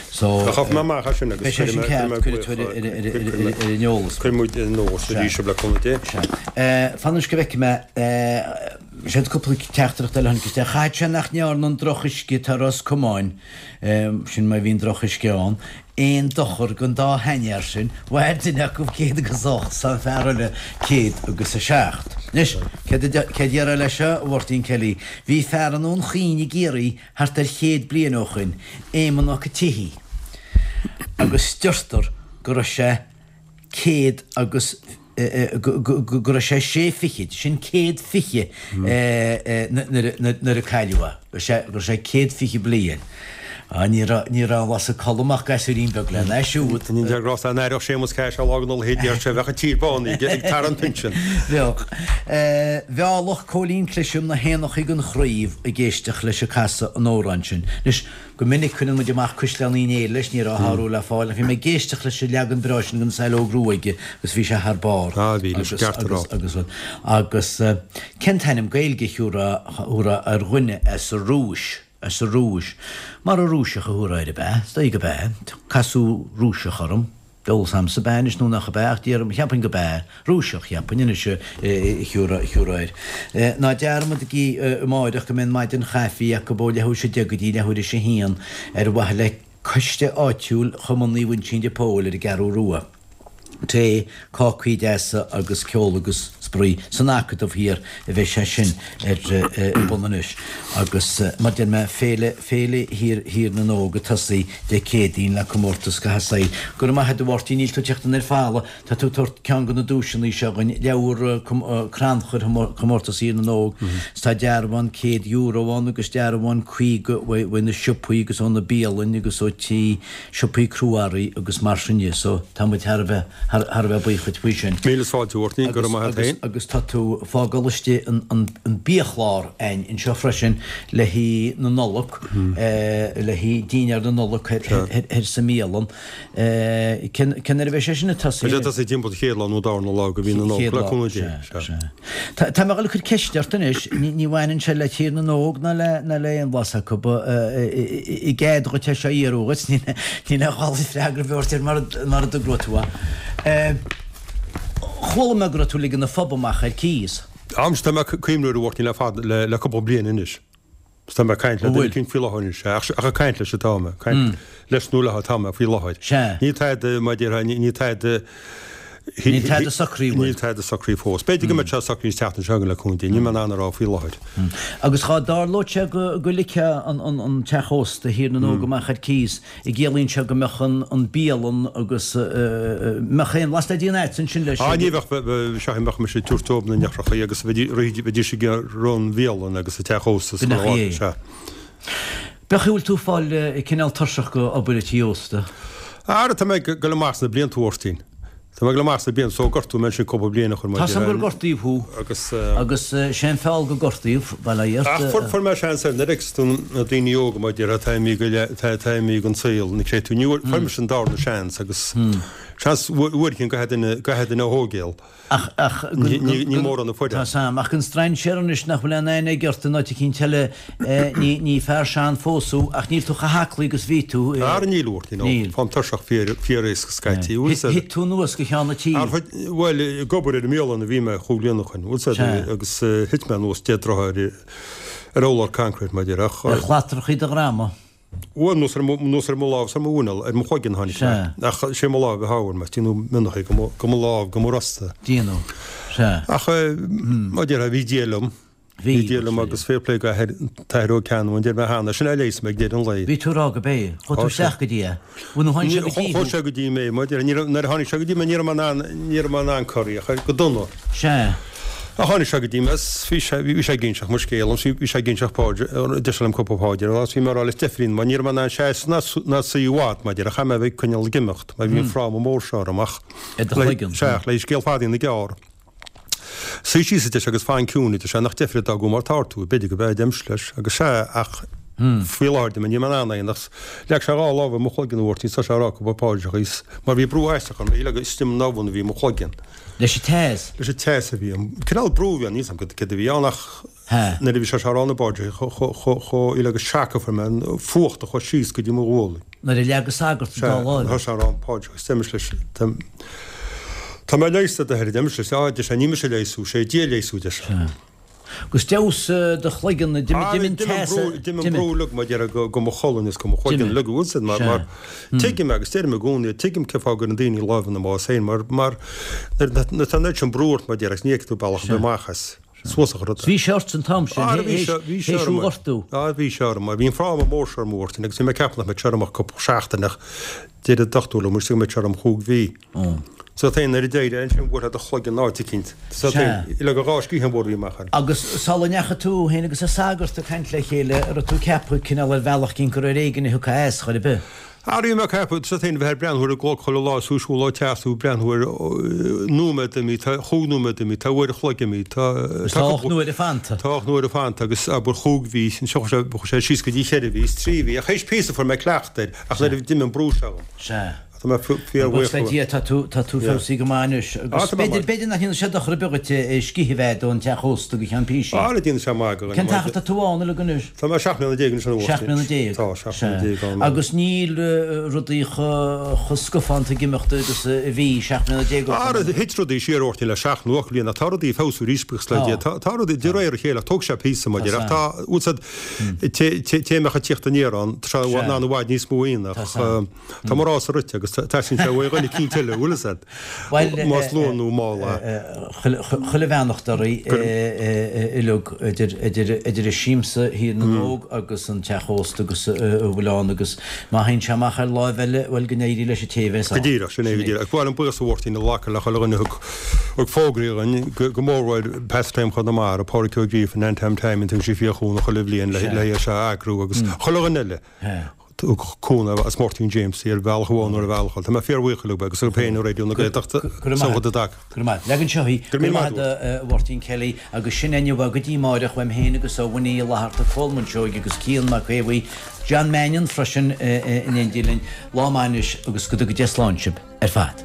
So. Chaithfidh mé amach as sin agus Beidh sé sin ceart, cuirfidh tú ar ar an eolas. Cuirfidh muid ar an eolas arís sibh le cúnamh Dé. Sea. Fan anois go bhfeicfidh mé, siad cúpla teachtaireacht eile a tháinig isteach. Chaithfeadh sé nach ndearna an drochuisce atá i Ros Comáin, sin má bhíonn drochuisce ann, aon dochar don dá sheanfhear sin, mhair duine acu céad agus ocht 's an fear eile céad agus a seacht. Anois, céard a déarfá leis seo, a Mháirtín Kelly? Bhí fear i nDún Chaoin i gCiarraí thart ar chéad bliain ó shoin, Éamonn Mac an tSíthigh, agus deirtear go raibh sé céad agus go raibh sé sé fichid, sin céad fiche nuair a cailleadh é, go raibh sé céad fiche bliain. Ní raibh ní raibh an lasadh colm ach gasúirín beag lena ais siúd. Ní deir Ross dá n-aireodh Séamus Cash lá den leithéid deir sé bheadh an tír bán ag tarraingt pinsean. Bheadh. Mheallfadh Cóilín Clisham na héanachaí den chraobh ag éisteacht leis ag casadh an amhráin sin. Anois, Go minic cuireann muid amach Caisleán Uí Néill leis, ní raibh a shárú le fáil, ach bhí mé ag éisteacht leis an leagan breá sin den Saileog Rua aige agus bhí sé thar barr. Ah, bhí, leis an gceart a rá. Agus, agus, agus cén t-ainm Gaeilge a thiúrfá ar dhuine as an Rúis, as an Rúis? Mar an Rúiseach a thiúrfá air, ab ea? Is dóigh gurb ea. Casadh Rúiseach orm. Eolas a'msa ab ea anois nó nach ab ea, ach déarfainn, cheapfainn go b'ea. Rúiseach, cheapfainn anois a thiúrfá air. Ná dearmadaigí amáireach go mbeidh an maidin chaife acu ó leathuair 's a deich go dtí leathuair 'is a haon ar mhaithe le coiste áitiúil Chumann Naomh Uinseann de Pól ar an gCeathrú Rua. Tae, cácaí deasa agus ceol agus spraoi san Acadamh Thiar a bheidh sé sin ar bun anois agus mar deir mé, Féile, Féile Thír, Thír na nÓg ag tosaí Dé Céadaoin le comórtas gach saghas. Go raibh maith agat a Mháirtín, níl tú ag teacht an ar falla, tá tú ag tabhairt ceann de na duaiseanna seo againn, leabhar crannchuir chomórtas Thír na nÓg, 's tá dearbhán céad euro ann agus dearbhán caoga uaidh na siopaí agus ó na bialainn agus ó tí siopaí crua-earraí agus mar sin dhe so tá muid thar a bheith thar a bheith buíoch dhuit faoi sin. Míle fáilte a Mháirtín, go raibh maith agat féin. Agus tá tú ag fágáil istigh an an an biachlár a'inn anseo freisin le haghaidh na Nollag, le haghaidh dinnéar na Nollag thoir sa mbialann. Cén cén uair a bheidh sé sin ag tosaí? Beidh sé ag tosaí timpeall an chéad lá nó darna lá de mhí na Nollag, le cúnamh Dé. Sea, sea. Tá tá mé ag dul a cur ceist ort anois, ní ní bhaineann sé le Tír na nÓg ná le ná le aon bhlas acu, i gcead dhuit é seo a iarraidh dhuit, níl aon ghá duit freagra a thabhairt air mara dtogróidh tú é. Chuala mé go raibh tú ag ligean an phub amach ar cíos. Am, tá mé ag cuimhniú air a Mháirtín le fada, le cúpla bliain anois. Tá mé ag caint le duine eicínt faoi láthair anois, ach ag caint leis atá mé, caint leis nó léi atá mé faoi láthair. Níl tada, mar a déarfá, níl tada Níl tada socraithe Níl tada socraithe fós. B'fhéidir go mbeidh sé socraithe an tseachtain seo chugainn le cúnamh Dé, níl mé in ann a rá faoi láthair. Agus dhá dtarlódh sé go go ligfeá an an an teach ósta Thír na nÓg amach ar cíos, an gciallaíonn sé go mbeadh an an bialann agus mbeadh aon bhlas le déanamh a'dsa ansin leis? Á ní bheadh, sea bheadh mise ag tabhairt dóibh na n-eochrachaí agus bheidís ag rith an bhialann agus an teach ósta is chuile áit, sea. B'é an chaoi a bhfuil tú ag fáil cineál tuirseach go obair an tí ósta? Ara tá mé ag dul amach sna blianta a Mháirtín. Tá mé ag dul amach sna blianta so gortaíodh mé ansin cúpla bliain ó shoin Tá 's a'm gur gortaíodh thú. Agus. Agus sé an feall go gortaíodh, bail ó Dhia ort. Ach fuair fuair mé seans air nuair a fheiceas tú na daoine óga mar a déarfá atá imithe go le atá imithe den saol ní creid tú ní bhfuair fuair mise an darna seans agus seans uair éigin caithfidh duine caithfidh duine a thógáil. Ach, ach, Ní, ní, ní mórán a fuair. Tá 's a'm, ach don strainséir anois nach bhfuil aon aithne aige ort in áit eicínt eile, ní, ní fear sean fós thú, ach níl tú chomh haclaí agus bhí tú. Ara níl, a Mháirtín, nó Níl. faighim tuirseach fíor, fíor éasca scaití, bhfuil 's a'd. Thit tú anuas go ceann an tí. Ar, bhuel, ag obair ar an mbialann a bhí mé chúig bliana ó shoin, bhfuil 's a'd, Sea. agus thit mé anuas deich dtroithe ar, ar urlár concrete, mar a déarfá, ach. Ar shlatrachaí do dhroma. Bhuel, anuas ar mo, anuas ar mo lámh 's ar mo mhuineál, ar mo chloigeann tháinig mé. Sea. Ach sé mo lámh a shábháil mé, déanadh mionnachaí go mo, go mo lámh, go mo rosta. Déanadh. Sea. Ach, mar a déarfá, bhí Dia liom. Bhí, Bhí Dia liom agus fair play go athair, t-athair Ó Ceannabháin, deir mé cheana, sin é a leigheas mé ag deireadh an lae. Bhí tú ag rá go b'é. Chuaigh tú isteach go dtí é. Bhuel, nó tháinig sé go dtí thú. Chuaigh sé go dtí mé, mar deir, ní raibh, nuair a tháinig sé go dtí mé ní raibh mé in ann, ní raibh mé in ann corraí a chur go dona. Sea. Ach tháinig sé go dtí mé is bhí sé, bhí sé ag inseacht mo scéal liom, bhí sé ag inseacht páidir, deir sé liom cúpla páidir a rá, is bhí mé ag rá leis deifrín, mar ní raibh mé in ann seasamh ná, ná suí i bhfad, mar deir, chaith mé a bheith ag coinneáil ag imeacht, mar bhí an fráma mór seo orm ach, I do chloigeann. Sea, le scéal fada a dhéanamh gearr. Suigh síos, a deir sé, agus fan ciúin, a deir sé, nach deifre d'fhágáil mar atá tú, b'fhéidir go b'ea, a deirimse leis, agus sea, ach faoi láthair, de, níl mé in ann é, ach leag sé dhá lámh ar mo chloigeann a Mháirtín, thosaigh sé a rá cúpla paidreacha, is mar bhí brú aisteach orm, shílfeá gur istigh i m'abhainn a bhí mo chloigeann. Leis an teas? Leis an teas a bhí ann. Cineál brú a bhí ann, níl 's agam cad a bhí ann ach nuair a bhí sé ag rá na bpaidreacha, shílfeá gur shock a fuair mé, an fuacht a chuaigh síos go dtí mo ghualainn. Nuair a leag an sagart an dá láimh. Sea, thosaigh sé a rá na paidreacha, is deirimse leis, Tá mé leigheasta, a d'athair, a deirimse leis. Á, a deir sé, ní mise a leigheas thú, sé Dia a leigheas thú, a deir sé. Sea. Agus d'fheabhsaigh do chloigeann, d'imigh an teas, d'imigh an brú uilig, mar déarfá, go mo cholainn is go mo chloigeann uilig, bhfuil 's a'd, mar, mar, tuigim agus deirim i gcónaí, tuigim cén fáth a gcuireann daoine lámh ina mbás féin, mar, mar, nuair atá an oiread sin brú ort, mar déarfá, agus ní fheicfidh tú bealach ar bith amach as. Suas a chur. Bhí sé ort an t-am sin, théis thú a ghortú. Á, bhí sé orm, mar bhí an fráma mór seo orm, a Mháirtín, agus bhí mé ag ceapadh nach mbeadh sé orm ach cúpla seachtain ach deir an dochtúir liom go mbeadh sé orm chúig mhí. So féin nuair a d'éirigh ansin bhuailfeá do chloigeann áit eicínt. So féin, le go dhá sciathán mhór a bhí amach air. Agus sula ndeachaigh tú féin agus an sagart ag caint le chéile, an raibh tú ag ceapadh cineál ar bhealach eicínt gur ar éigean a thiocfá as chor ar bith? Ara bhí mé ag ceapadh, so féin, bheith ag breathnú ar an gclog chuile lá is tú ag siúl ó teach tú ag breathnú ar nóiméad imithe, tá chúig nóiméad imithe, tá uair a chloig imithe, tá Tá ocht n-uaire fanta. Tá ocht n-uaire fanta agus abair chúig mhí, ansin chuaigh sé, chuaigh sé síos go dtí cheithre mhí, is trí mhí, ach théis píosa fuair mé cleachtadh air, ach nuair a d'imigh an brú seo dhom. Sea. Tá mé fíorbhuíoch. Buíochas le Dia, tá tú, tá tú feabhsaithe go maith anois. Agus b'fhéidir, b'fhéidir nach ndéanfaidh sé dochar ar bith dhuit scíth a bheith a'd ón teach ósta go ceann píosaí. Ara déanfaidh sé maith go Cén t-achar atá tú ann uilig anois? Tá mé seacht mbliana déag anois a Mháirtín. Seacht mbliana déag. Tá, seacht mbliana déag ann. Agus níl rudaí chomh scafánta ag imeacht agus a bhí seacht mbliana déag ó shin. Ara thit rudaí siar a Mháirtín le seacht nó ocht mbliana ach tá rudaí ag feabhsú arís buíochas le Dia. Tá, tá rudaí de réir a chéile ach tógfaidh sé píosa mar a déarfá ach tá, bhfuil 's a'd, té a mbeadh ag tíocht aniar ann, tá sé in ann i bhfad níos mó a dhéanamh ach, Tá mo rása rite agus teastaíonn sé uaidh dhuine eicínt eile, bhfuil fhios a'd, más luath nó mall é. Chuile bheannacht oraibh uilig, idir Siamsa Thír na nÓg agus an teach ósta agus a bhfuil ann agus má théann sé amach ar láimh eile, bhuel, go n-éirí leis an té a bheas Go ann. díreach, sin é go díreach. Agus ba mhaith liom buíochas a Mháirtín a ghlacadh le chuile dhuine a thug thug fógraí dhuinn, go mórmhór Pastime Chonamara, Pádraig Ó Gríofa, Nan Tom Taimín, tugann sí fíor-chúnamh chuile bhliain le é seo a eagrú agus chuile dhuine eile. Thug cúnamh as Máirtín James ar bhealach amháin nó ar bhealach eile. Tá mé fíorbhuíoch uilig agus oraibh féin i Raidió na Gaeltachta Go raibh maith agat. Go raibh maith. Leag anseo í. Go raibh míle maith agat, a Mháirtín Kelly, agus sin é inniu go dtí amáireach uaim féin agus ó Winnie Uí Fhlatharta, Cóil Muinseoige agus Cian Mac Aodha Bhuí, John Mannion freisin in éindí linn. Lá maith anois agus go dtuga Dia slán sibh ar fad.